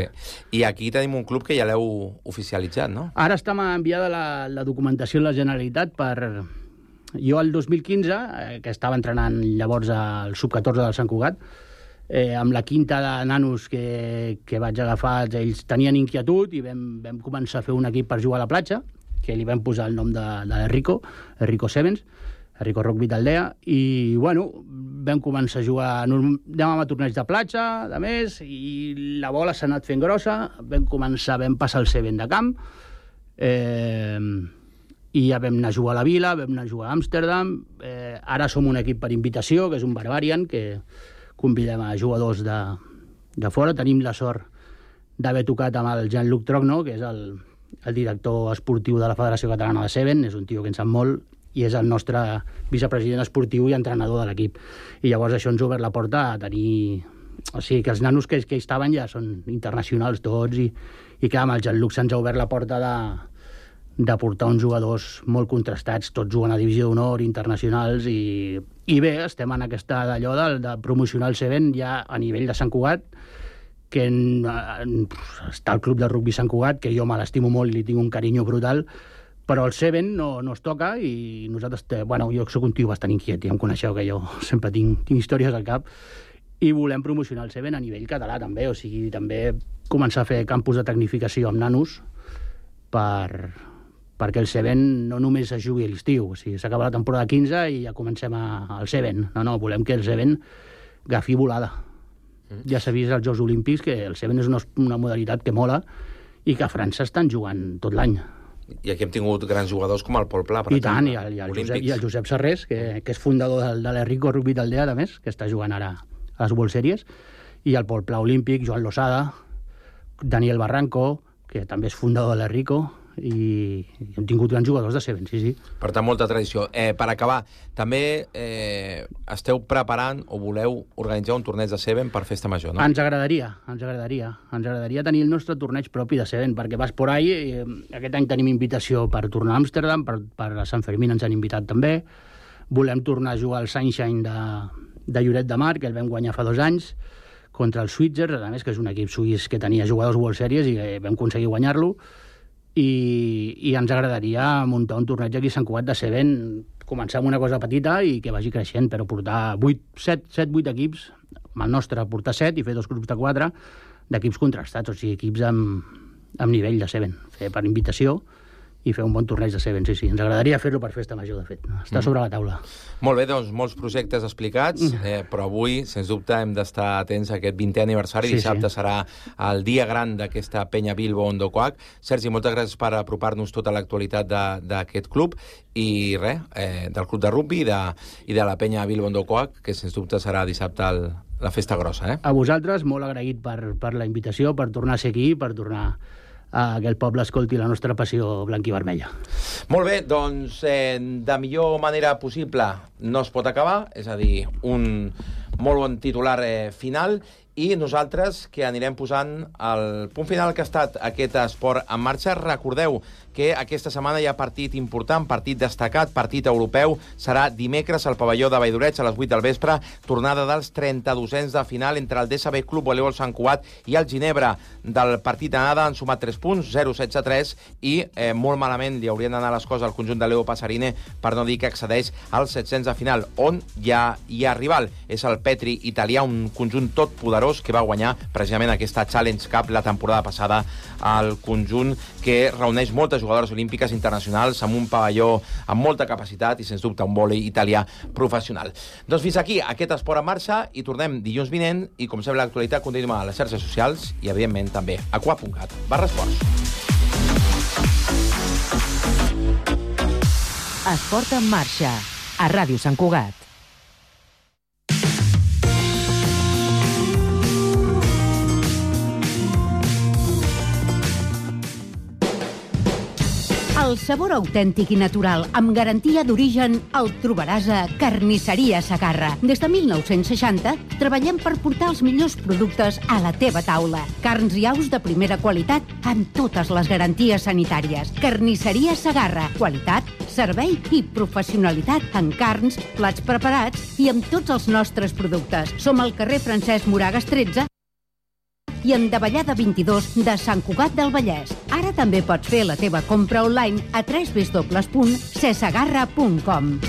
I aquí tenim un club que ja l'heu oficialitzat, no? Ara està enviada la documentació a la Generalitat per... Jo, el 2015, que estava entrenant llavors al sub-14 del Sant Cugat, amb la quinta de nanos que vaig agafar, ells tenien inquietud i vam començar a fer un equip per jugar a la platja, que li vam posar el nom d'Enrico Sevens, Enrico Rugby d'Aldea, i, bueno, vam començar a jugar, anàvem a torneig de platja, de més, i la bola s'ha anat fent grossa, vam passar el Seven de camp, i ja vam anar a jugar a la Vila, vam anar a jugar a Amsterdam, ara som un equip per invitació, que és un Barbarian, que convidem a jugadors de fora, tenim la sort d'haver tocat amb el Jean-Luc Trogno, que és el director esportiu de la Federació Catalana de Seven, és un tio que en sap molt, i és el nostre vicepresident esportiu i entrenador de l'equip. I llavors això ens ha obert la porta a tenir O sigui, que els nanos que hi estaven ja són internacionals tots i clar, amb el Jean-Luc se'ns ha obert la porta de portar uns jugadors molt contrastats, tots juguen a divisió d'honor, internacionals, i bé, estem en aquesta d'allò de promocionar el Seven ja a nivell de Sant Cugat, que està el club de rugby Sant Cugat, que jo me l'estimo molt i li tinc un carinyo brutal, però el Seven no es toca i nosaltres, jo soc un tio bastant inquiet, ja em coneixeu que jo sempre tinc històries al cap, i volem promocionar el Seven a nivell català també, o sigui, també començar a fer campus de tecnificació amb nanos perquè el Seven no només es jugui a l'estiu, o sigui, s'acaba la temporada 15 i ja comencem al Seven. No, volem que el Seven agafi volada. Ja s'ha vist als Jocs Olímpics que el Seven és una modalitat que mola i que a França estan jugant tot l'any. I aquí hem tingut grans jugadors com el Pol Pla, per exemple. I el Josep Serrés, que és fundador de l'Errico Rugby d'Aldea, a més, que està jugant ara a les World Series, i el Pol Pla olímpic, Joan Losada, Daniel Barranco, que també és fundador de l'Errico, i hem tingut grans jugadors de Seven, sí. Per tant, molta tradició. Per acabar, també esteu preparant o voleu organitzar un torneig de Seven per Festa Major, no? Ens agradaria tenir el nostre torneig propi de Seven, perquè vas por ahí, aquest any tenim invitació per tornar a Amsterdam, per a Sant Fermín ens han invitat també, volem tornar a jugar al Sunshine de Lloret de Mar, que el vam guanyar fa 2 anys, contra el Switzer, a més, que és un equip suís que tenia jugadors World Series i vam aconseguir guanyar-lo, i ens agradaria muntar un torneig aquí a Sant Cugat de Seven, començar amb una cosa petita i que vagi creixent, però portar 7-8 equips, amb el nostre portar 7 i fer 2 grups de 4 d'equips contrastats, o sigui, equips amb nivell de Seven, fer per invitació i fer un bon torneig de Seven, sí. Ens agradaria fer-lo per Festa Major, de fet. Està sobre la taula. Molt bé, doncs, molts projectes explicats, però avui, sens dubte, hem d'estar atents a aquest 20è aniversari. Dissabte serà el dia gran d'aquesta penya Bilbo Ondokoak. Sergi, moltes gràcies per apropar-nos tota l'actualitat d'aquest club i del club de rugby i de la penya Bilbo Ondokoak, que sens dubte serà dissabte la festa grossa. A vosaltres, molt agraït per la invitació, per tornar a ser aquí, per tornar a que el poble escolti la nostra passió blanc i vermella. Molt bé, doncs de millor manera possible no es pot acabar, és a dir, un molt bon titular final, i nosaltres que anirem posant el punt final que ha estat aquest esport en marxa. Recordeu que aquesta setmana hi ha partit important, partit destacat, partit europeu. Serà dimecres al pavelló de Valldoreix a les 8 del vespre, tornada dels 32ens de final entre el DSB Club Voleibol Sant Cugat i el Ginebra. Del partit d'anada han sumat 3 punts, 0-16-3, i molt malament li haurien d'anar les coses al conjunt de Leo Passarine, per no dir que accedeix als 700 de final, on ja hi ha rival. És el Petri italià, un conjunt tot poderós que va guanyar precisament aquesta Challenge Cup la temporada passada al conjunt que reuneix moltes jugadores olímpiques internacionals amb un pavelló amb molta capacitat i, sens dubte, un vòlei italià professional. Doncs fins aquí aquest esport en marxa i tornem dilluns vinent i, com sempre, l'actualitat continua a les xarxes socials i, evidentment, també a qua.cat/esports. Esport en marxa, a Ràdio Sant Cugat. El sabor autèntic i natural, amb garantia d'origen, el trobaràs a Carnisseria Segarra. Des de 1960 treballem per portar els millors productes a la teva taula. Carns i aus de primera qualitat amb totes les garanties sanitàries. Carnisseria Segarra. Qualitat, servei i professionalitat en carns, plats preparats i amb tots els nostres productes. Som al carrer Francesc Moragas 13 i en Davallada 22 de Sant Cugat del Vallès. Ara també pots fer la teva compra online a www.cesegarra.com.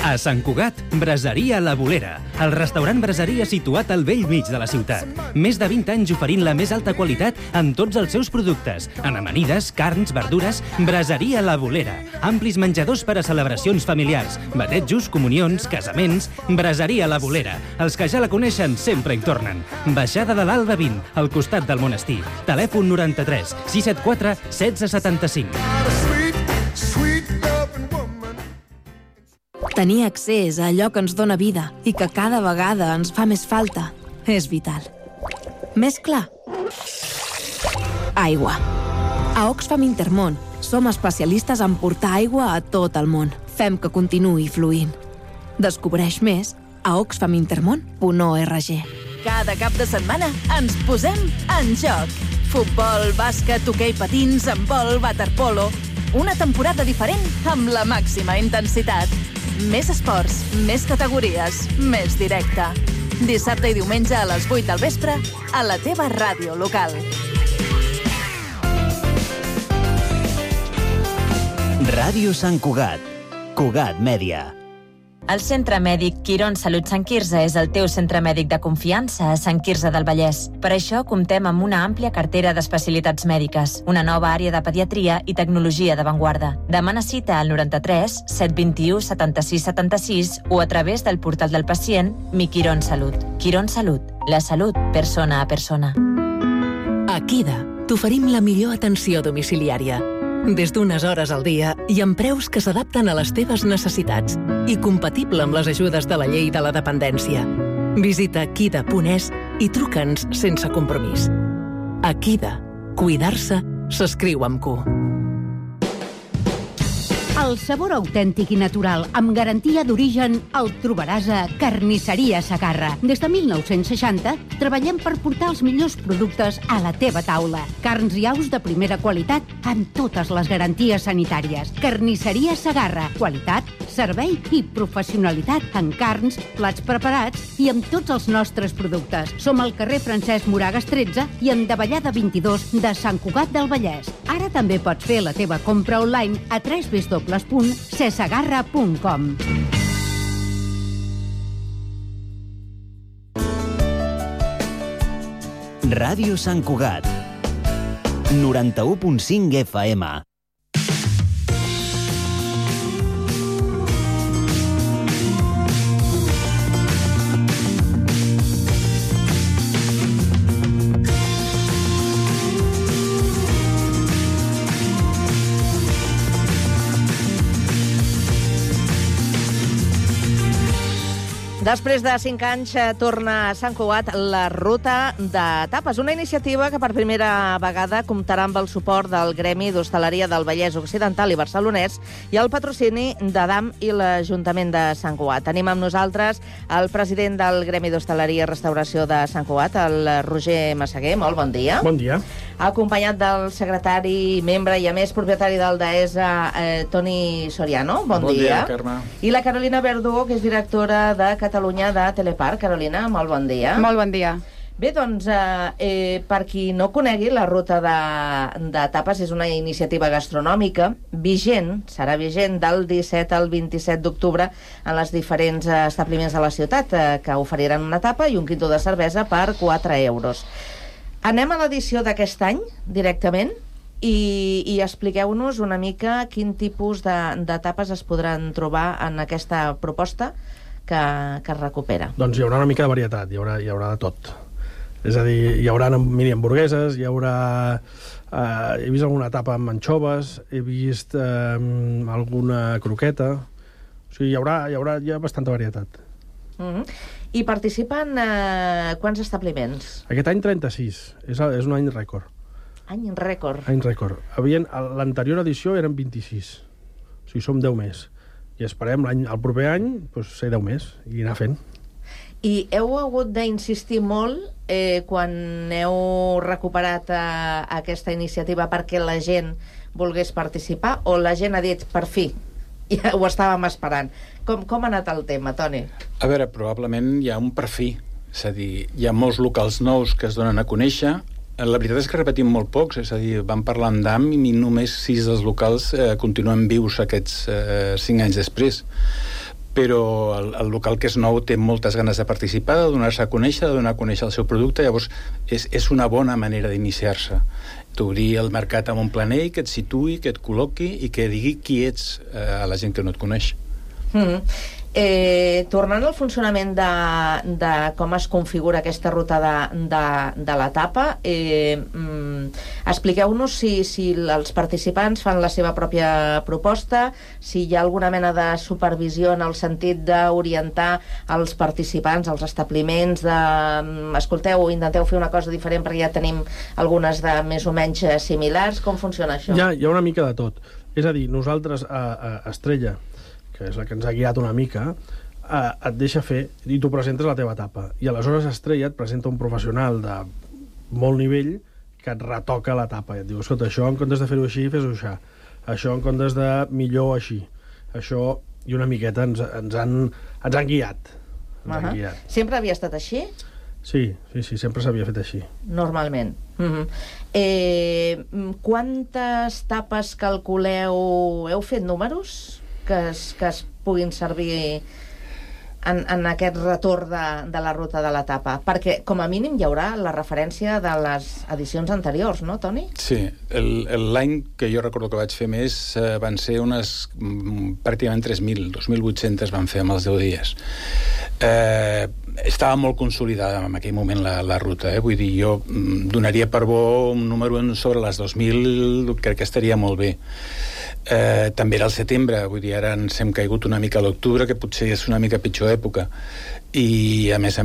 A Sant Cugat, Braseria La Bolera, el restaurant braseria situat al bell mig de la ciutat. Més de 20 anys oferint la més alta qualitat en tots els seus productes. En amanides, carns, verdures, Braseria La Bolera. Amplis menjadors per a celebracions familiars, batejos, comunions, casaments. Braseria La Bolera. Els que ja la coneixen sempre hi tornen. Baixada de l'Alba 20, al costat del monestir. Telèfon 93 674 1675. Tenir accés a allò que ens dóna vida i que cada vegada ens fa més falta és vital. Més clar? Aigua. A Oxfam Intermón som especialistes en portar aigua a tot el món. fem que continuï fluint. Descobreix més a oxfamintermón.org. Cada cap de setmana ens posem en joc. Futbol, bàsquet, hoquei patins, handbol, waterpolo. Una temporada diferent amb la màxima intensitat. Més esports, més categories, més directe. Dissabte i diumenge a les 8 del vespre a la teva ràdio local. Ràdio Sant Cugat. Cugat Mèdia. El Centre Mèdic Quirón Salut Sant Quirze és el teu centre mèdic de confiança a Sant Quirze del Vallès. Per això comptem amb una àmplia cartera d'especialitats mèdiques, una nova àrea de pediatria i tecnologia d'avantguarda. Demana cita al 93 721 76 76 o a través del portal del pacient Mi Quirón Salut. Quirón Salut, la salut persona a persona. A Kida t'oferim la millor atenció domiciliària. Des d'unes hores al dia i amb preus que s'adapten a les teves necessitats i compatible amb les ajudes de la llei de la dependència. Visita kida.es i truca'ns sense compromís. A Kida, cuidar-se s'escriu amb Q. El sabor autèntic i natural, amb garantia d'origen, el trobaràs a Carnisseria Segarra. Des de 1960 treballem per portar els millors productes a la teva taula. Carns i aus de primera qualitat amb totes les garanties sanitàries. Carnisseria Segarra. Qualitat, servei i professionalitat en carns, plats preparats i amb tots els nostres productes. Som al carrer Francesc Moragas 13 i en Davallada 22 de Sant Cugat del Vallès. Ara també pots fer la teva compra online a www.cesegarra.com. Ràdio Sant Cugat. 91.5 FM. Després de 5 anys torna a Sant Cugat la Ruta de Tapes, una iniciativa que per primera vegada comptarà amb el suport del Gremi d'Hostaleria del Vallès Occidental i Barcelonès i el patrocini d'Adam i l'Ajuntament de Sant Cugat. Tenim amb nosaltres el president del Gremi d'Hostaleria i Restauració de Sant Cugat, el Roger Massaguer. Molt bon dia. Bon dia. Acompanyat del secretari, membre i a més propietari del DAESA, Toni Soriano. Bon dia, Carme. I la Carolina Verdugo, que és directora de Catalunya de Teleparc. Carolina, molt bon dia. Molt bon dia. Bé, doncs, per qui no conegui, la Ruta de Tapes és una iniciativa gastronòmica vigent, serà vigent del 17 al 27 d'octubre en els diferents establiments de la ciutat, que oferiran una tapa i un quinto de cervesa per 4 euros. Anem a l'edició d'aquest any, directament, i expliqueu-nos una mica quin tipus de tapes es podran trobar en aquesta proposta que es recupera. Doncs hi haurà una mica de varietat, hi haurà de tot. És a dir, hi haurà mini hamburgueses, hi haurà... he vist alguna tapa amb anxoves, he vist alguna croqueta... O sigui, hi ha bastanta varietat. I participen quants establiments? Aquest any 36, és un any rècord. Any rècord. Any rècord. L'anterior edició eren 26, o sigui, som 10 més. I esperem el proper any ser 10 més i anar fent. I heu hagut d'insistir molt quan heu recuperat aquesta iniciativa perquè la gent volgués participar, o la gent ha dit, per fi, ja ho estàvem esperant? Com ha anat el tema, Toni? A veure, probablement hi ha un per fi. És a dir, hi ha molts locals nous que es donen a conèixer. La veritat és que repetim molt pocs, és a dir, vam parlar amb DAM i només 6 dels locals continuen vius aquests 5 anys després. Però el local que és nou té moltes ganes de participar, de donar-se a conèixer, de donar a conèixer el seu producte, llavors és una bona manera d'iniciar-se. T'obrir el mercat amb un planell que et situï, que et col·loqui i que digui qui ets a la gent que no et coneix. Tornant al funcionament de com es configura aquesta ruta de la tapa, expliqueu-nos si els participants fan la seva pròpia proposta, si hi ha alguna mena de supervisió en el sentit d'orientar els participants, els establiments, escolteu, intenteu fer una cosa diferent perquè ja tenim algunes de més o menys similars. Com funciona això? Hi ha una mica de tot. És a dir, nosaltres a Estrella que és la que ens ha guiat una mica, et deixa fer i tu presentes la teva etapa. I aleshores Estrella et presenta un professional de molt nivell que et retoca l'etapa i et diu, escolta, això en comptes de fer-ho així, fes-ho així. Això en comptes de millor així. Això, i una miqueta ens han guiat. Sempre havia estat així? Sí, sempre s'havia fet així. Normalment. Quantes tapes calculeu? Heu fet números que es puguin servir en aquest retorn de la ruta de l'etapa? Perquè, com a mínim, hi haurà la referència de les edicions anteriors, no, Toni? Sí. L'any que jo recordo que vaig fer més van ser unes pràcticament 3.000, 2.800 van fer amb els 10 dies. Estava molt consolidada en aquell moment la ruta, vull dir, jo donaria per bo un número sobre les 2.000, crec que estaria molt bé. També era el setembre, vull dir, ara ens hem caigut una mica a l'octubre, que potser és una mica pitjor època, i a més,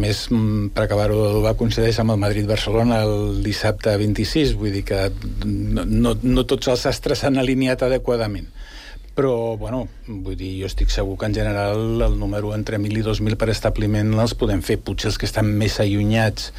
per acabar-ho, va coincideix amb el Madrid-Barcelona el dissabte 26, vull dir que no tots els astres s'han alineat adequadament. Però, bueno, vull dir, jo estic segur que en general el número entre 1.000 i 2.000 per establiment els podem fer. Potser els que estan més allunyats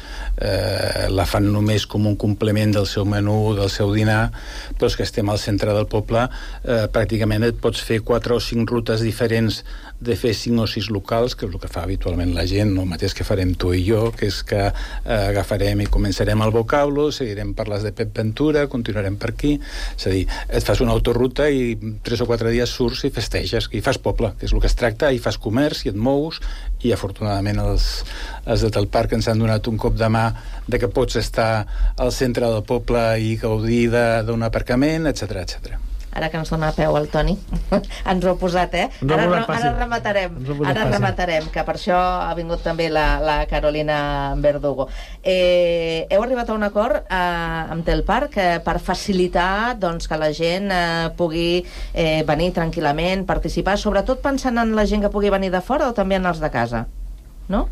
la fan només com un complement del seu menú, del seu dinar, però els que estem al centre del poble pràcticament et pots fer 4 o 5 rutes diferents de fer 5 o 6 locals, que és el que fa habitualment la gent, el mateix que farem tu i jo, que és que agafarem i començarem el vocablo, seguirem per les de Pep Ventura, continuarem per aquí, és a dir, et fas una autoruta i 3 o 4 dies surts i festeges, i fas poble, que és el que es tracta, i fas comerç, i et mous, i afortunadament els de Tel Parc ens han donat un cop de mà de que pots estar al centre del poble i gaudir d'un aparcament, etc etc. Ara que ens dona peu el Toni, ens ho ha posat, Ara rematarem, que per això ha vingut també la Carolina Verdugo. Heu arribat a un acord amb Tel Parc per facilitar que la gent pugui venir tranquil·lament, participar, sobretot pensant en la gent que pugui venir de fora o també en els de casa, no?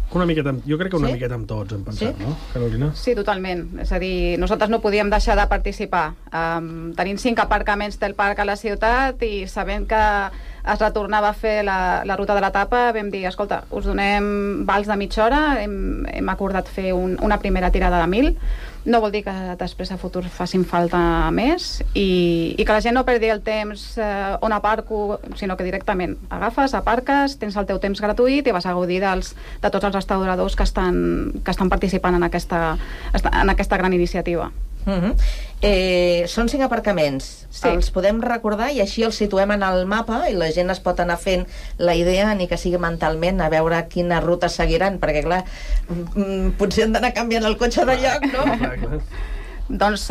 Jo crec que una miqueta amb tots hem pensat, no, Carolina? Sí, totalment. És a dir, nosaltres no podíem deixar de participar. Tenim 5 aparcaments del parc a la ciutat i sabent que es retornava a fer la ruta de l'etapa, vam dir, escolta, us donem vals de mitja hora, hem acordat fer una primera tirada de 1.000, no vol dir que després a futur facin falta més i que la gent no perdi el temps on aparco, sinó que directament agafes, aparques, tens el teu temps gratuït i vas a gaudir de tots els restauradors que estan participant en aquesta gran iniciativa. Són 5 aparcaments, els podem recordar i així els situem en el mapa i la gent es pot anar fent la idea, ni que sigui mentalment, a veure quina ruta seguiran, perquè clar, potser han d'anar canviant el cotxe de lloc, no? Doncs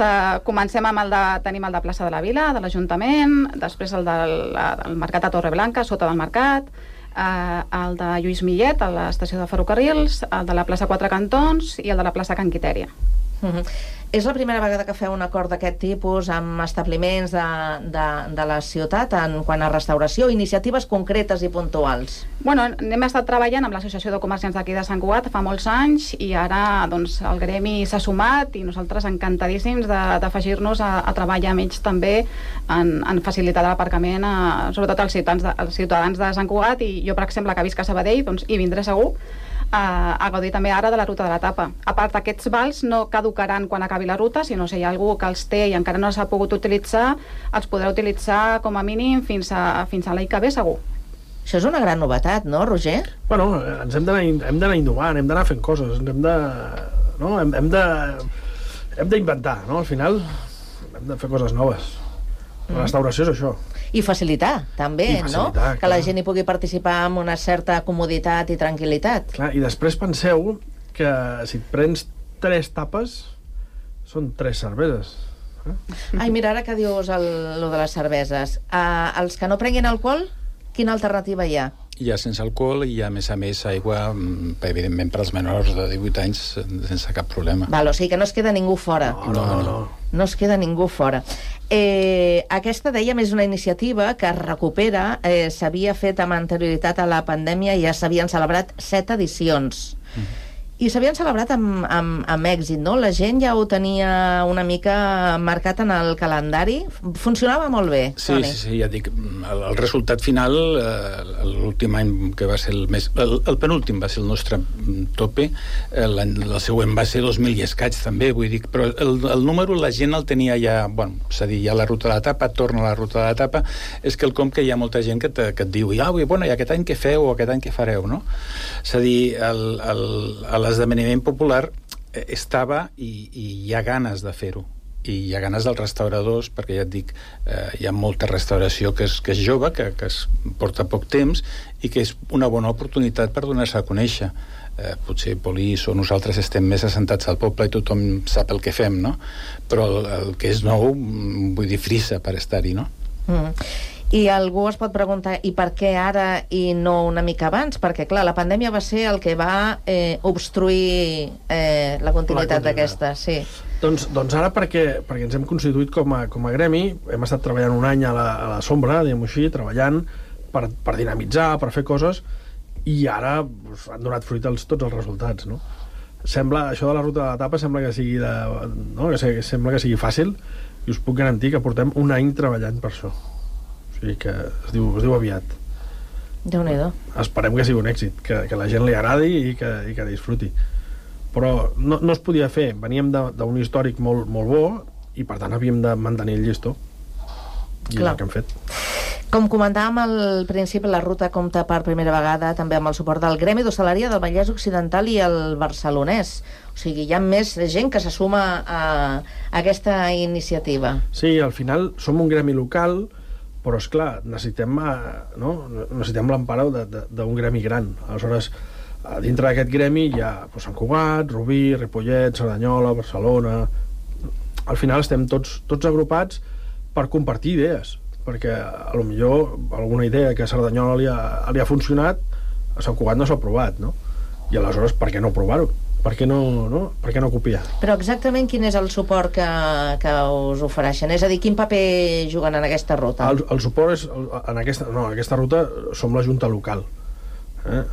comencem amb tenim el de Plaça de la Vila, de l'Ajuntament, després el del Mercat de Torreblanca, sota del Mercat, el de Lluís Millet, a l'estació de ferrocarrils, el de la plaça Quatre Cantons i el de la plaça Can Quitèria. És la primera vegada que feu un acord d'aquest tipus amb establiments de la ciutat en quant a restauració, iniciatives concretes i puntuals? Bueno, hem estat treballant amb l'Associació de Comerciants d'aquí de Sant Cugat fa molts anys i ara doncs, el gremi s'ha sumat i nosaltres encantadíssims d'afegir-nos a treballar amb ells també en facilitar l'aparcament sobretot als ciutadans de Sant Cugat i jo, per exemple, que visc a Sabadell doncs, hi vindré segur a gaudir també ara de la ruta de l'etapa. A part, aquests vals no caducaran quan acabi la ruta, sinó si hi ha algú que els té i encara no s'ha pogut utilitzar, els podrà utilitzar com a mínim fins a l'any que ve, segur. Això és una gran novetat, no, Roger? Bueno, hem d'anar innovant, hem d'anar fent coses, hem d'inventar, no? Al final hem de fer coses noves. La restauració és això. I facilitar, també, no? Que la gent hi pugui participar amb una certa comoditat i tranquil·litat. Clar, i després penseu que si et prens 3 tapes són 3 cerveses. Ai, mira, ara que dius lo de les cerveses, els que no prenguin alcohol, quina alternativa hi ha? Hi ha sense alcohol i hi ha, a més, aigua, evidentment, per als menors de 18 anys, sense cap problema. Val, o sigui que no es queda ningú fora. No es queda ningú fora. Aquesta, dèiem, és una iniciativa que es recupera, s'havia fet amb anterioritat a la pandèmia i ja s'havien celebrat 7 edicions. I s'havien celebrat amb èxit, no? La gent ja ho tenia una mica marcat en el calendari. Funcionava molt bé, Toni. Sí, ja dic, el resultat final, l'últim any que va ser el penúltim va ser el nostre tope, el següent va ser 2000 i escaig també, vull dir, però el número la gent el tenia ja, bueno, és a dir, ja la ruta de l'etapa, torna a la ruta de l'etapa, és quelcom que hi ha molta gent que et diu, bueno, i aquest any què feu o aquest any què fareu, no? És a dir, l'esdeveniment popular estava i hi ha ganes de fer-ho, i hi ha ganes dels restauradors, perquè ja et dic, hi ha molta restauració que és jove, que es porta poc temps i que és una bona oportunitat per donar-se a conèixer. Potser Polis o nosaltres estem més assentats al poble i tothom sap el que fem, no? Però el que és nou, vull dir, frissa per estar-hi, no? I algú es pot preguntar, i per què ara i no una mica abans? Perquè, clar, la pandèmia va ser el que va obstruir la continuïtat d'aquesta, sí. Doncs ara perquè ens hem constituït com a gremi, hem estat treballant un any a la sombra, diguem-ho així, treballant per dinamitzar, per fer coses, i ara han donat fruit tots els resultats, no? Això de la ruta de l'etapa sembla que sigui sembla que sigui fàcil, i us puc garantir que portem un any treballant per això. O sigui que es diu aviat. Déu-n'hi-do. Esperem que sigui un èxit, que la gent li agradi i que disfruti. Però no es podia fer. Veníem d'un històric molt bo i per tant havíem de mantenir el llistó. I és el que hem fet. Com comentàvem al principi, la ruta compta per primera vegada també amb el suport del Gremi d'Hostaleria del Vallès Occidental i el Barcelonès. O sigui, hi ha més gent que se suma a aquesta iniciativa. Sí, al final som un gremi local, però esclar, necessitem l'empara d'un gremi gran. Aleshores, dintre d'aquest gremi hi ha Sant Cugat, Rubí, Ripollet, Cerdanyola, Barcelona. Al final estem tots agrupats per compartir idees, perquè potser alguna idea que a Cerdanyola li ha funcionat, a Sant Cugat no s'ha provat, no? I aleshores, per què no provar-ho? Per què no copiar? Però exactament quin és el suport que us ofereixen? És a dir, quin paper juguen en aquesta ruta? El suport és... En aquesta ruta som la Junta Local.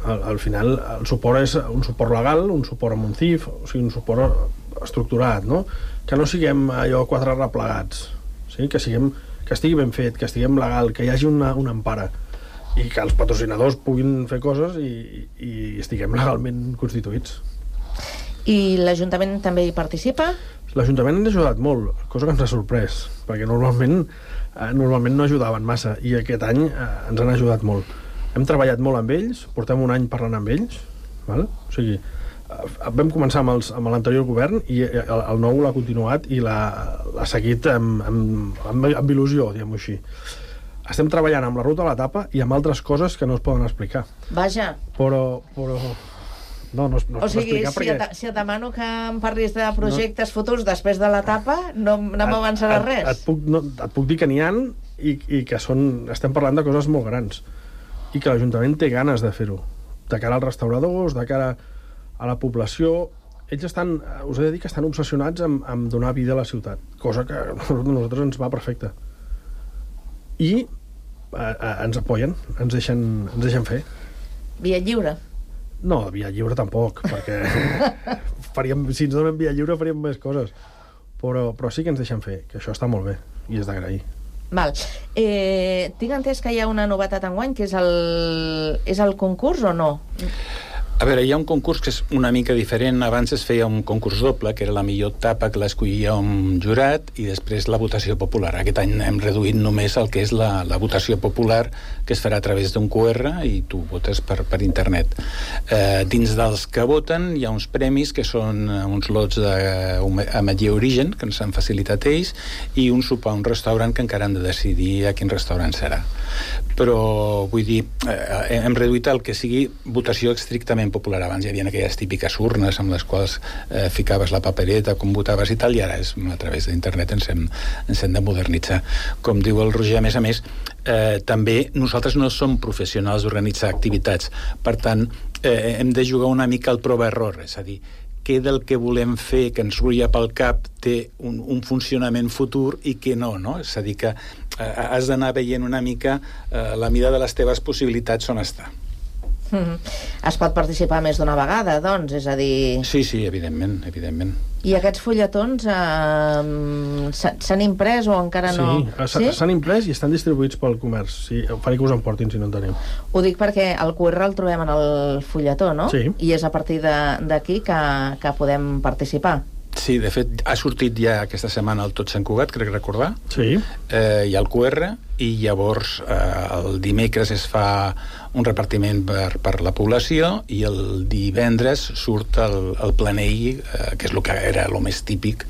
Al final, el suport és un suport legal, un suport amb un CIF, o sigui, un suport estructurat, no? Que no siguem allò quatre replegats, sí? Que estigui ben fet, que estiguem legal, que hi hagi una empara i que els patrocinadors puguin fer coses i estiguem legalment constituïts. I l'Ajuntament també hi participa? L'Ajuntament ens ha ajudat molt, cosa que ens ha sorprès, perquè normalment no ajudaven massa, i aquest any ens han ajudat molt. Hem treballat molt amb ells, portem un any parlant amb ells, val? O sigui, vam començar amb l'anterior govern i el nou l'ha continuat i l'ha seguit amb il·lusió, diguem-ho així. Estem treballant amb la ruta a l'etapa i amb altres coses que no es poden explicar. Vaja. Però no es pot explicar perquè... Si et demano que em parlis de projectes futurs després de l'etapa, no m'avançaràs res. Et puc dir que n'hi ha i que estem parlant de coses molt grans i que l'Ajuntament té ganes de fer-ho, de cara als restauradors, de cara a la població. Ells us he de dir que estan obsessionats amb donar vida a la ciutat, cosa que a nosaltres ens va perfecte. I ens apoyen, ens deixen fer. Via lliure? No, via lliure tampoc, perquè si ens donen via lliure faríem més coses. Però sí que ens deixen fer, que això està molt bé i és d'agrair. Val. Tinc entès que hi ha una novetat enguany, que és el concurs o no? A veure, hi ha un concurs que és una mica diferent. Abans es feia un concurs doble, que era la millor tapa, que l'escollia un jurat, i després la votació popular. Aquest any hem reduït només el que és la votació popular, que es farà a través d'un QR i tu votes per internet. Dins dels que voten hi ha uns premis que són uns lots d'Ametller Origen, que ens han facilitat ells, i un sopar a un restaurant que encara han de decidir a quin restaurant serà. Però, vull dir, hem reduït el que sigui votació estrictament popular. Abans hi havia aquelles típiques urnes amb les quals ficaves la papereta, com votaves i tal, i ara a través d'internet ens hem de modernitzar. Com diu el Roger, a més, també nosaltres no som professionals d'organitzar activitats. Per tant, hem de jugar una mica al prova-error, és a dir, què del que volem fer, que ens rulla pel cap, té un funcionament futur i què no? És a dir, que has d'anar veient una mica la mida de les teves possibilitats on està. Es pot participar més d'una vegada, doncs, és a dir... Sí, evidentment. I aquests fulletons s'han imprès o encara no? Sí, s'han imprès i estan distribuïts pel comerç. Sí, faré que us emportin si no en teniu. Ho dic perquè el QR el trobem en el fulletó, no? Sí. I és a partir d'aquí que podem participar. Sí, de fet, ha sortit ja aquesta setmana el Tot Sant Cugat, crec recordar. Sí. Hi ha el QR, i llavors el dimecres es fa un repartiment per la població i el divendres surt el planell, que és el que era el més típic,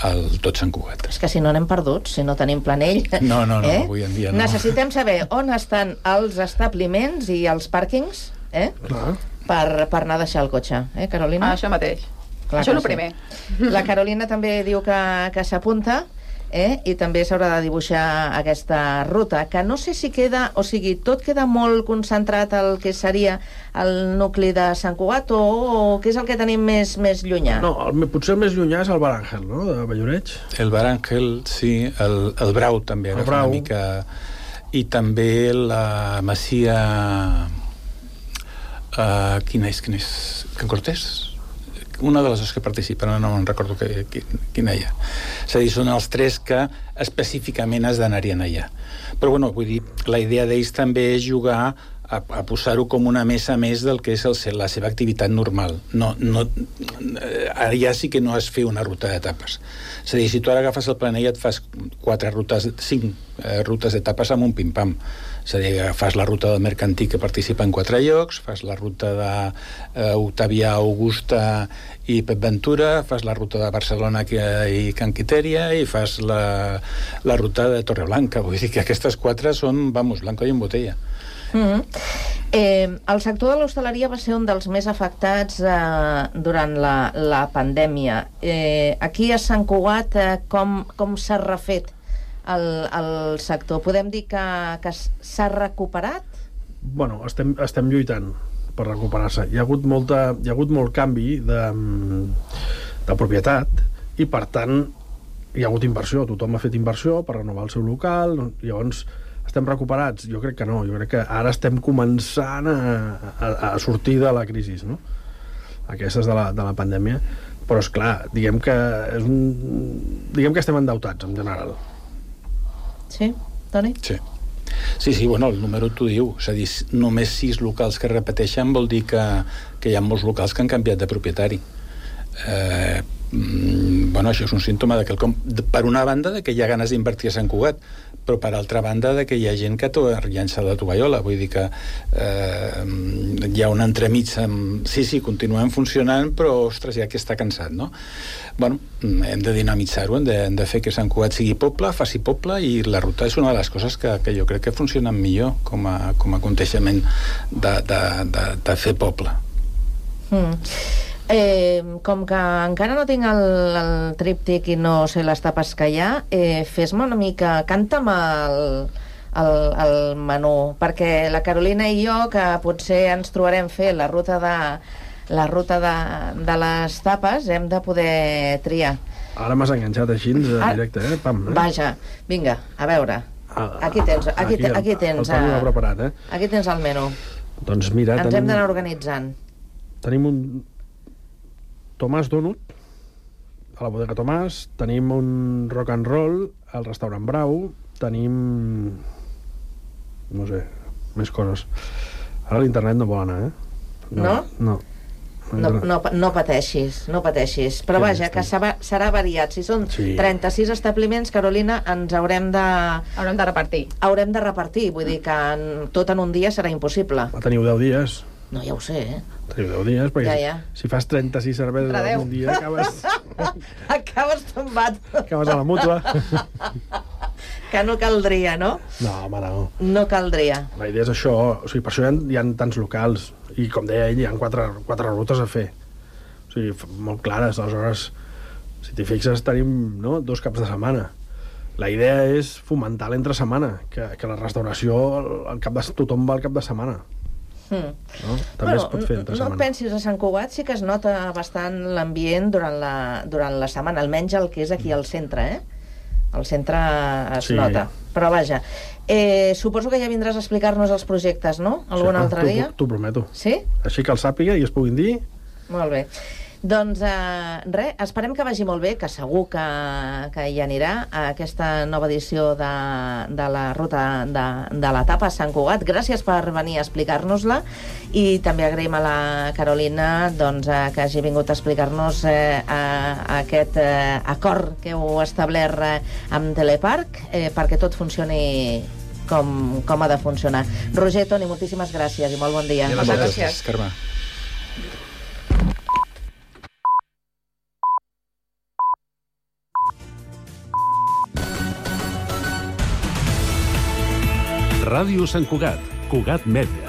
el Tot Sant Cugat. És que si no anem perduts, si no tenim planell... No, avui en dia no. Necessitem saber on estan els establiments i els pàrquings, per anar a deixar el cotxe, Carolina? Això mateix. Clar, això és el primer. La Carolina també diu que s'apunta, i també s'haurà de dibuixar aquesta ruta, que no sé si queda, o sigui, tot queda molt concentrat al que seria el nucli de Sant Cugat, o què és el que tenim més llunyà? No, potser el més llunyà és el Bar Àngel, no?, de Valloreig. El Bar Àngel, sí, el Brau també agafa una mica, i també la Masia... Quina és? Can Cortés? Una de les dues que participen, no me'n recordo quina hi ha. És a dir, són els tres que específicament es donarien allà. Però, bueno, vull dir, la idea d'ells també és jugar a posar-ho com una mesa més del que és la seva activitat normal. Allà sí que no es fer una ruta d'etapes. És a dir, si tu ara agafes el planell et fas 5 rutes d'etapes amb un pim-pam. És a dir, fas la ruta del Mercantí, que participa en 4 llocs, fas la ruta d'Octavià, Augusta i Pep Ventura, fas la ruta de Barcelona i Can Quitèria i fas la ruta de Torreblanca. Vull dir que aquestes 4 són, blanco i en botella. El sector de l'hostaleria va ser un dels més afectats durant la pandèmia. Aquí a Sant Cugat, com s'ha refet el sector? Podem dir que s'ha recuperat? Bueno, estem lluitant per recuperar-se. Hi ha hagut molt canvi de propietat i, per tant, hi ha hagut inversió. Tothom ha fet inversió per renovar el seu local. Llavors, estem recuperats? Jo crec que no. Jo crec que ara estem començant a sortir de la crisi, no? Aquestes de la pandèmia. Però, esclar, diguem que estem endeutats, en general. Sí, Toni? Sí, bueno, el número t'ho diu. És a dir, només 6 locals que repeteixen vol dir que hi ha molts locals que han canviat de propietari. Bueno, això és un símptoma de que, per una banda, de que hi ha ganes d'invertir a Sant Cugat, però per altra banda de que hi ha gent que t'ha llançat la tovallola. Vull dir que hi ha un entremig amb... Sí, continuem funcionant, però, ostres, ja que està cansat, no? Bueno, hem de dinamitzar-ho, hem de fer que Sant Cugat sigui poble, faci poble, i la ruta és una de les coses que jo crec que funcionen millor com a aconteixement de fer poble. Com que encara no tinc el tríptic i no sé les tapes que hi ha, fes-me una mica, canta'm el menú, perquè la Carolina i jo, que potser ens trobarem fer la ruta de les tapes, hem de poder triar. Ara m'has enganxat així en directe, Pam. Vaja, vinga, a veure. Aquí tens el menú. Doncs mira, ens hem d'anar organitzant. Tenim un Tomàs Donut a la bodega Tomàs, tenim un rock and roll al restaurant Brau, tenim no sé, més coses. Ara l'internet no vol anar, No? No pateixis, però vaja, que serà variat. Si són 36 establiments, Carolina, ens haurem de repartir. Haurem de repartir, vull dir que tot en un dia serà impossible. Teniu 10 dies. No, ja ho sé, Teniu 10 dies, perquè si fas 36 cerveses en un dia, acabes tombat. Acabes a la mútua. Que no caldria, no? No, home, no. No caldria. La idea és això, o sigui, per això hi ha tants locals, i com deia ell, hi ha 4 rutes a fer. O sigui, molt clares, aleshores, si t'hi fixes, tenim 2 caps de setmana. La idea és fomentar l'entre setmana, que la restauració, tothom va al cap de setmana. No? També es pot fer entre setmana. No pensis, a Sant Cugat sí que es nota bastant l'ambient durant la setmana, almenys el que és aquí al centre, al centre es Sí. nota. Però vaja, suposo que ja vindràs a explicar-nos els projectes, no? Algun altre dia? T'ho prometo. Sí? Així que el sàpiga i es puguin dir. Molt bé. Doncs res, esperem que vagi molt bé, que segur que hi anirà a aquesta nova edició de la ruta de l'etapa a Sant Cugat. Gràcies per venir a explicar-nos-la i també agraïm a la Carolina doncs, que hagi vingut a explicar-nos aquest acord que heu establert amb Teleparc perquè tot funcioni com ha de funcionar. Roger, Toni, moltíssimes gràcies i molt bon dia. Moltes gràcies, Carme. Ràdio Sant Cugat, Cugat Mèdia.